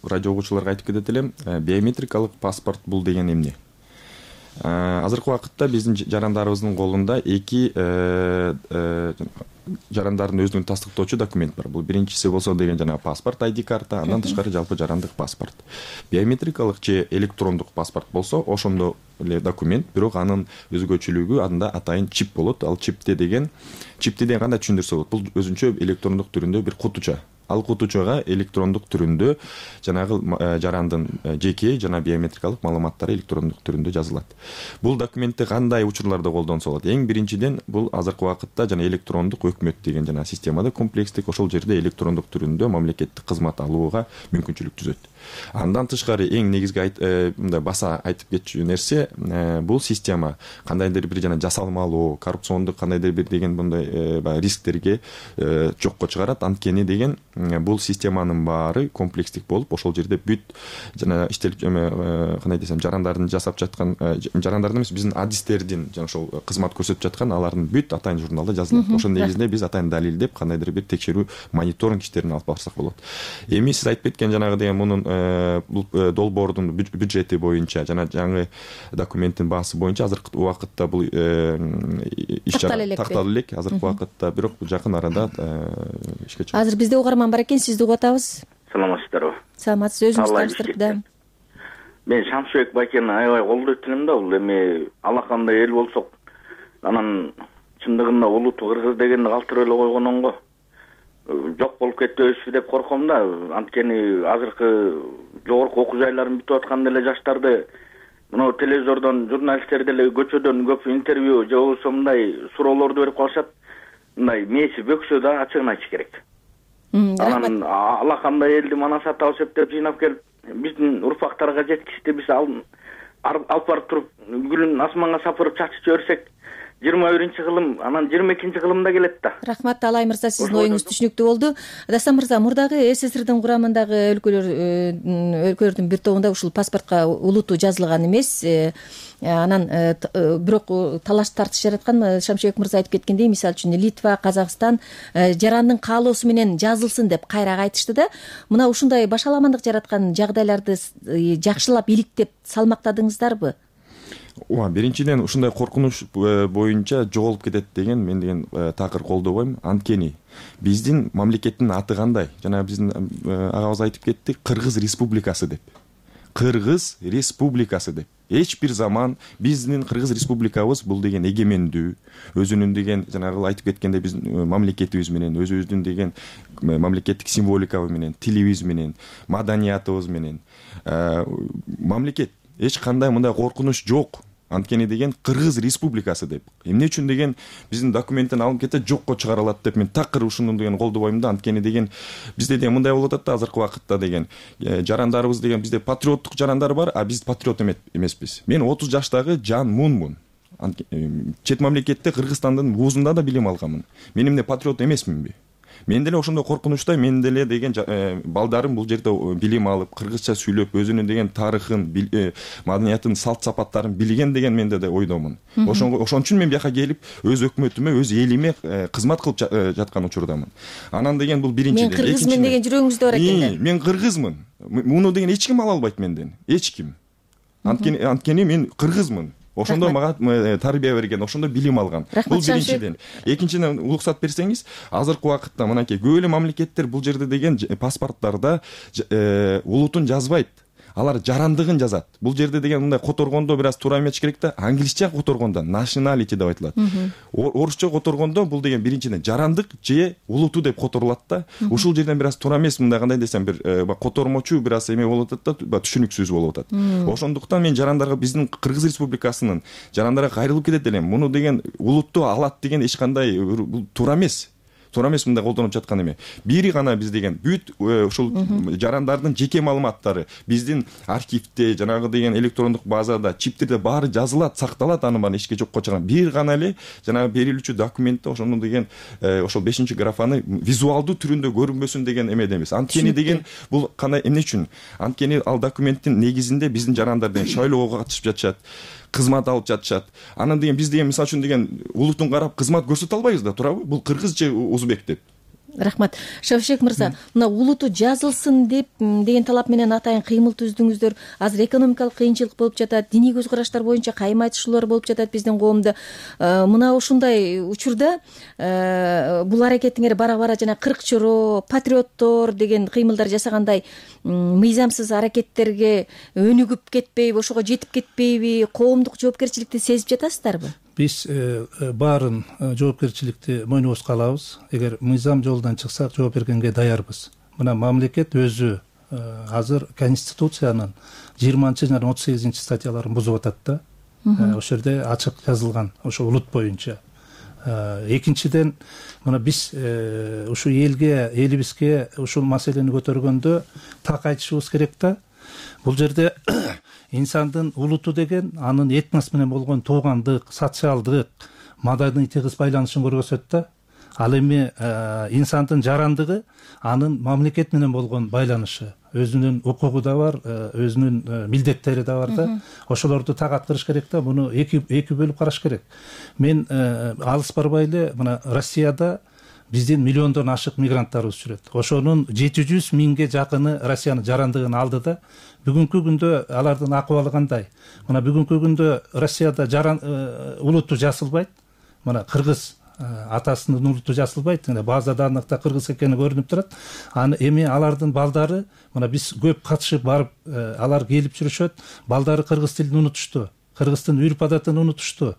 радио угуучуларга айтып кетет элем, биометрикалык паспорт бул деген эмне? Азыркы убакытта биздин жарандарыбыздын колунда эки жарандардын өзүн тастыктоочу документ бар. Бул биринчиси болсо деген жана паспорт, ID карта, андан тышкары жалпы жарандык паспорт. Биометрикалык же электрондук паспорт болсо ошондо эле документ, бирок анын өзгөчөлүгү анда атайын чип болот. Ал чипти деген кандай түшүндүрсө болот? Бул өзүнчө электрондук түрүндө бир кутуча. Ал кутучага электрондук түрүндө жанагы жарандын жеке жана биометрикалык маалыматтары электрондук түрүндө жазылат. Бул документти кандай учурларда колдонсо болот? Эң биринчиден бул азыркы убакытта жана электрондук өкмөт деген жана системада комплекстик ошол жерде электрондук түрүндө мамлекеттик кызмат алууга мүмкүнчүлүк түзөт. Андан тышкары эң негизги мындай баса айтып кетчү нерсе, бул система кандайдыр бир жана жасалмалуу, коррупциондук кандайдыр бир деген мындай рисктерге жокко чыгарат. Анткени деген бул системанын баары комплекстик болуп, ошол жерде бүт жана кандай десем, жарандардын жасап жаткан, жарандардын эмес, биздин адистердин жана ошол кызмат көрсөтүп жаткан алардын бүт атайын журналда жазылат. Ошонун негизинде биз атайын далилдеп, кандайдыр бир текшерүү, мониторинг иштерин алып барсак болот. Эми сиз айтып кеткен жанагы деген мунун долбоордун бюджети боюнча жана жаңы документтин баасы боюнча азыркы убакытта бул иш чара такталып элек. Азыркы убакытта бирок жакын арада ишке чыгат. Азыр бизде угарман бар экен, сизди угуп атабыз. Саламатсыздарбы? Саламатсыз, өзүңүз таныштырып да. Мен Шамшыбек байкени аябай колдойт элем да, бул эми алакандай эл болсок, анан чындыгында улуту кыргыз дегенди калтырып эле койгонун го. Жок болуп кетпөйбүзбү деп корком да. Анткени азыркы жогорку окуу жайларын бүтүп аткан эле жаштарды мына телевизордон, журналисттер деле көчөдөн көп интервью же болбосо мындай суроолорду берип калышат. Мындай мээси бөксө да ачыгын айтыш керек. Анан алакандай элди мана сатабыз деп жыйнап келип, биздин урпактарга жеткичти биз алып барып туруп гүлүн асманга сапырып чачып жиберсек, 21 кылым, анан 22 кылымда келет да. Рахмат Алай мырза, сиздин оюңуз түшүнүктүү болду. Дастан мырза, мурдагы СССРдин курамындагы өлкөлөрдүн бир тобунда ушул паспортко улуту жазылган эмес. Анан бирок талаш тартыш жараткан. Шамшыбек мырза айтып кеткендей, мисалы үчүн Литва, Казакстан жарандын каалоосу менен жазылсын деп кайра айтышты да. Мына ушундай башаламандык жараткан жагдайларды жакшылап иликтеп салмактадыңыздарбы? Биринчиден ушундай коркунуч боюнча жоголуп кетет деген мен деген такыр колдобойм. Анткени биздин мамлекеттин аты кандай? Жана биздин агабыз айтып кетти, Кыргыз Республикасы деп. Кыргыз Республикасы деп. Эч бир заман биздин Кыргыз Республикабыз бул деген эгемендүү, өзүнүн деген жанагы айтып кеткендей биздин мамлекетибиз менен, өзүбүздүн деген мамлекеттик символикабыз менен, тилибиз менен, маданиятыбыз менен мамлекет эч кандай мындай коркунуч жок. Анткени деген Кыргыз Республикасы деп. Эмне үчүн деген биздин документтен алынып кетсе жокко чыгарылат деп мен такыр ушуну деген колдобойм да. Анткени деген бизде деген мындай болуп атат да азыркы убакытта деген жарандарыбыз деген бизде патриоттук жарандар бар, а биз патриот эмеспиз. Мен 30 жаштагы Жан Мунмун. Чет мамлекетте Кыргызстандын вузунда да билим алганмын. Мен эмне патриот эмесминби? Мен деле ошондой коркунучта, мен деле деген балдарым бул жерде билим алып, кыргызча сүйлөп, өзүнүн деген тарыхын, маданиятын, салт сапаттарын билген деген менде да ойдомун. Ошон үчүн мен бияка келип, өз өкмөтүмө, өз элиме кызмат кылып жаткан учурдамын. Анан деген бул биринчиден. Мен кыргызмын деген жүрөгүңүздө бар экен. Мен кыргызмын. Муну деген эч ким ала албайт менден. Эч ким. Анткени мен кыргызмын. Ошондо мага тарбия берген, ошондо билим алган. Бул биринчиден. Экинчиден уруксат берсеңиз, азыркы убакытта мынакей көп эле мамлекеттер бул жерде деген паспорттарда улутун жазбайт. Алар жарандыгын жазат. Бул жерде деген мындай которгондо бир аз туура эмес керек да, англисче которгондо nationality деп айтылат. Орусча которгондо бул деген биринчиден жарандык же улуту деп которулат да. Ушул жерден бир аз туура эмес, мындай кандай десем, бир котормочу бир аз эме болуп атат да, түшүнүксүз болуп атат. Ошондуктан мен жарандарга, биздин Кыргыз Республикасынын жарандарга кайрылып кетет элем. Муну деген улутту алат деген эч кандай бул туура эмес. Туура эмес мындай колдонуп жаткан эме. Бири гана биз деген бүт ушул жарандардын жеке маалыматтары биздин архивде, жанагы деген электрондук базада, чиптерде баары жазылат, сакталат, аны баары эчке жокко чыган. Бир гана эле жанагы берилүүчү документте ошону деген ошол 5-графаны визуалдуу түрүндө көрүнбөсүн деген эме эмес. Анткени деген бул кандай эмне үчүн? Анткени ал документтин негизинде биздин жарандар деген шайлоого катышып жатышат, кызмат алып жатышат. Анан деген биз деген мисалы үчүн деген улутун карап кызмат көрсөтө албайбыз да, туурабы? Бул кыргыз же узбек деп. Рахмат. Шамшыбек мырза, мына улуту жазылсын деп деген талап менен атайын кыймыл түздүңүздөр. Азыр экономикалык кыйынчылык болуп жатат, диний көз караштар боюнча кайым айтышуулар болуп жатат биздин коомдо. Мына ушундай учурда бул аракетиңер бара-бара жана кыркчороо, патриоттор деген кыймылдар жасагандай мыйзамсыз аракеттерге өнүгүп кетпейби, ошого жетип кетпейби, коомдук жоопкерчиликти сезип жатасыздарбы? Биз баарын жоопкерчиликти мойнубузга алабыз. Эгер мыйзам жолунан чыксак, жооп бергенге даярбыз. Мына мамлекет өзү азыр Конституциянын 20 жана 38 статьяларын бузуп атат да. Ошол жерде ачык жазылган ошо улут боюнча. Экинчиден, мына биз ушу элибизге ушул маселени көтөргөндө так айтышыбыз керек да. Бул жерде инсандын улуту деген анын этнос менен болгон туугандык, социалдык, маданий тыгыз байланышын көрсөтөт да. Ал эми инсандын жарандыгы анын мамлекет менен болгон байланышы, өзүнүн укугу да бар, өзүнүн милдеттери да бар да. Ошолорду так аткарыш керек да. Муну эки бөлүп караш керек. Мен алыс барбай эле мына Россияда биздин миллиондон ашык мигранттарыбыз жүрөт. Ошонун 700 миңге жакыны Россиянын жарандыгын алды да. Бүгүнкү күндө алардын акыбалы кандай? Мына бүгүнкү күндө Россияда улуту жасылбайт. Мына кыргыз атасынын улуту жасылбайт. База даныкта кыргыз экени көрүнүп турат. Аны эми алардын балдары, мына биз көп катышып барып, алар келип жүрүшөт. Балдары кыргыз тилин унутушту. Кыргыздын үрп адатын унутушту.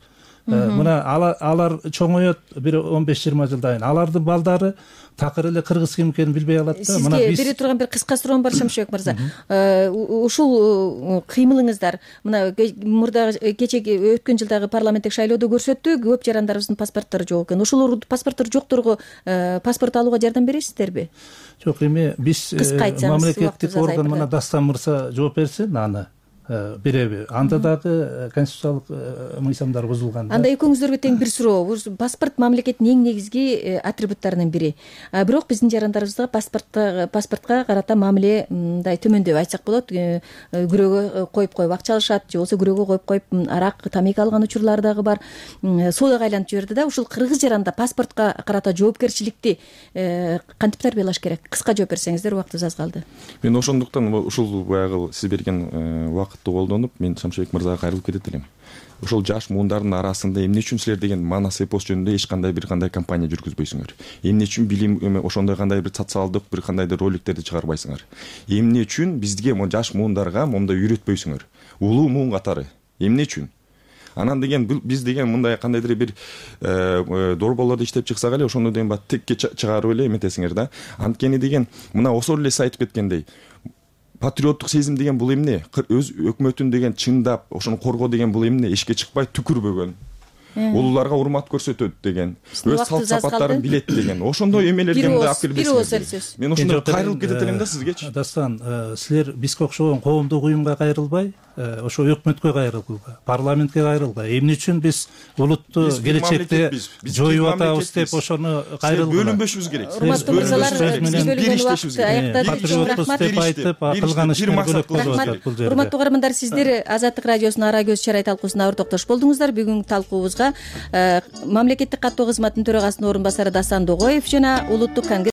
Мына алар чоңоет бир 15-20 жылдан кийин. Алардын балдары такыр эле кыргыз ким экенин билбей калат да. Мына биз бере турган бир кыска суроом бар, Шамшыбек мырза. Ушул кыймылыңыздар мына мурда кечеги өткөн жылдагы парламенттик шайлоодо көрсөттү, көп жарандарыбыздын паспорттору жок экен. Ошол паспорттор жокторго паспорт алууга жардам бересиздерби? Жок, эми биз мамлекеттик орган, мына Дастан мырза жооп берсин аны. береби. Анда дагы конституциялык мыйзамдар бузулган. Анда экөөңүздөргө тең бир суроо. Паспорт мамлекеттин эң негизги атрибуттарынын бири. Бирок биздин жарандарыбызда паспортко карата мамиле мындай төмөндөп айтсак болот. Күрөөгө коюп акча алышат, же болбосо күрөөгө коюп арак, тамека алган учурлар дагы бар. Соодага айланып жиберди да. Ушул кыргыз жаранда паспортко карата жоопкерчиликти кантип тарбиялаш керек? Кыска жооп берсеңиздер, убактыбыз аз калды. Мен ошондуктан ушул баягы сиз берген убакытты колдонуп, мен Шамшыбек мырзага кайрылып кетет элем. Ошол жаш муундардын арасында эмне үчүн силер деген манас эпос жөнүндө эч кандай бир кандай кампания жүргүзбөйсүңөр? Эмне үчүн билим ошондой кандай бир социалдык бир кандайдыр роликтерди чыгарбайсыңар? Эмне үчүн бизге жаш муундарга моундай үйрөтпөйсүңөр? Улуу муун катары эмне үчүн? Анан деген биз деген мындай кандайдыр бир дорболорду иштеп чыксак эле ошону деген текке чыгарып эле эметесиңер да. Анткени деген мына осор эле айтып кеткендей, патриоттук сезим деген бул эмне? Өз өкмөтүн деген чындап, ошону коргоо деген бул эмне? Эшикке чыкпай түкүрбөгөн. Улууларга урмат көрсөтөт деген, өз салт сапаттарын билет деген. Ошондой эмелерге мындай алып келбейсиңер. Мен ошондой кайрылып кетет элем да сизгечи. Дастан, силер бизге окшогон коомдук уюмга кайрылбай, ошо өкмөткө кайрылгыла, парламентке кайрылгыла. Эмне үчүн биз улутту келечекте жоюп атабыз деп ошону кайрылгыла. Бөлүнбөшүбүз керек. Урматтуу мырзалар, биз бөлүнгөн убакытты аяктадык. Патриотбуз деп айтып, кылган ишин көрүп калып бул жерде. Урматтуу каармандар, сиздер Азаттык радиосунун Ара көз чарай талкуусуна ортоктош болдуңуздар. Бүгүнкү талкуубузга мамлекеттик каттоо кызматынын төрагасынын орун басары Дастан Догоев жана улуттук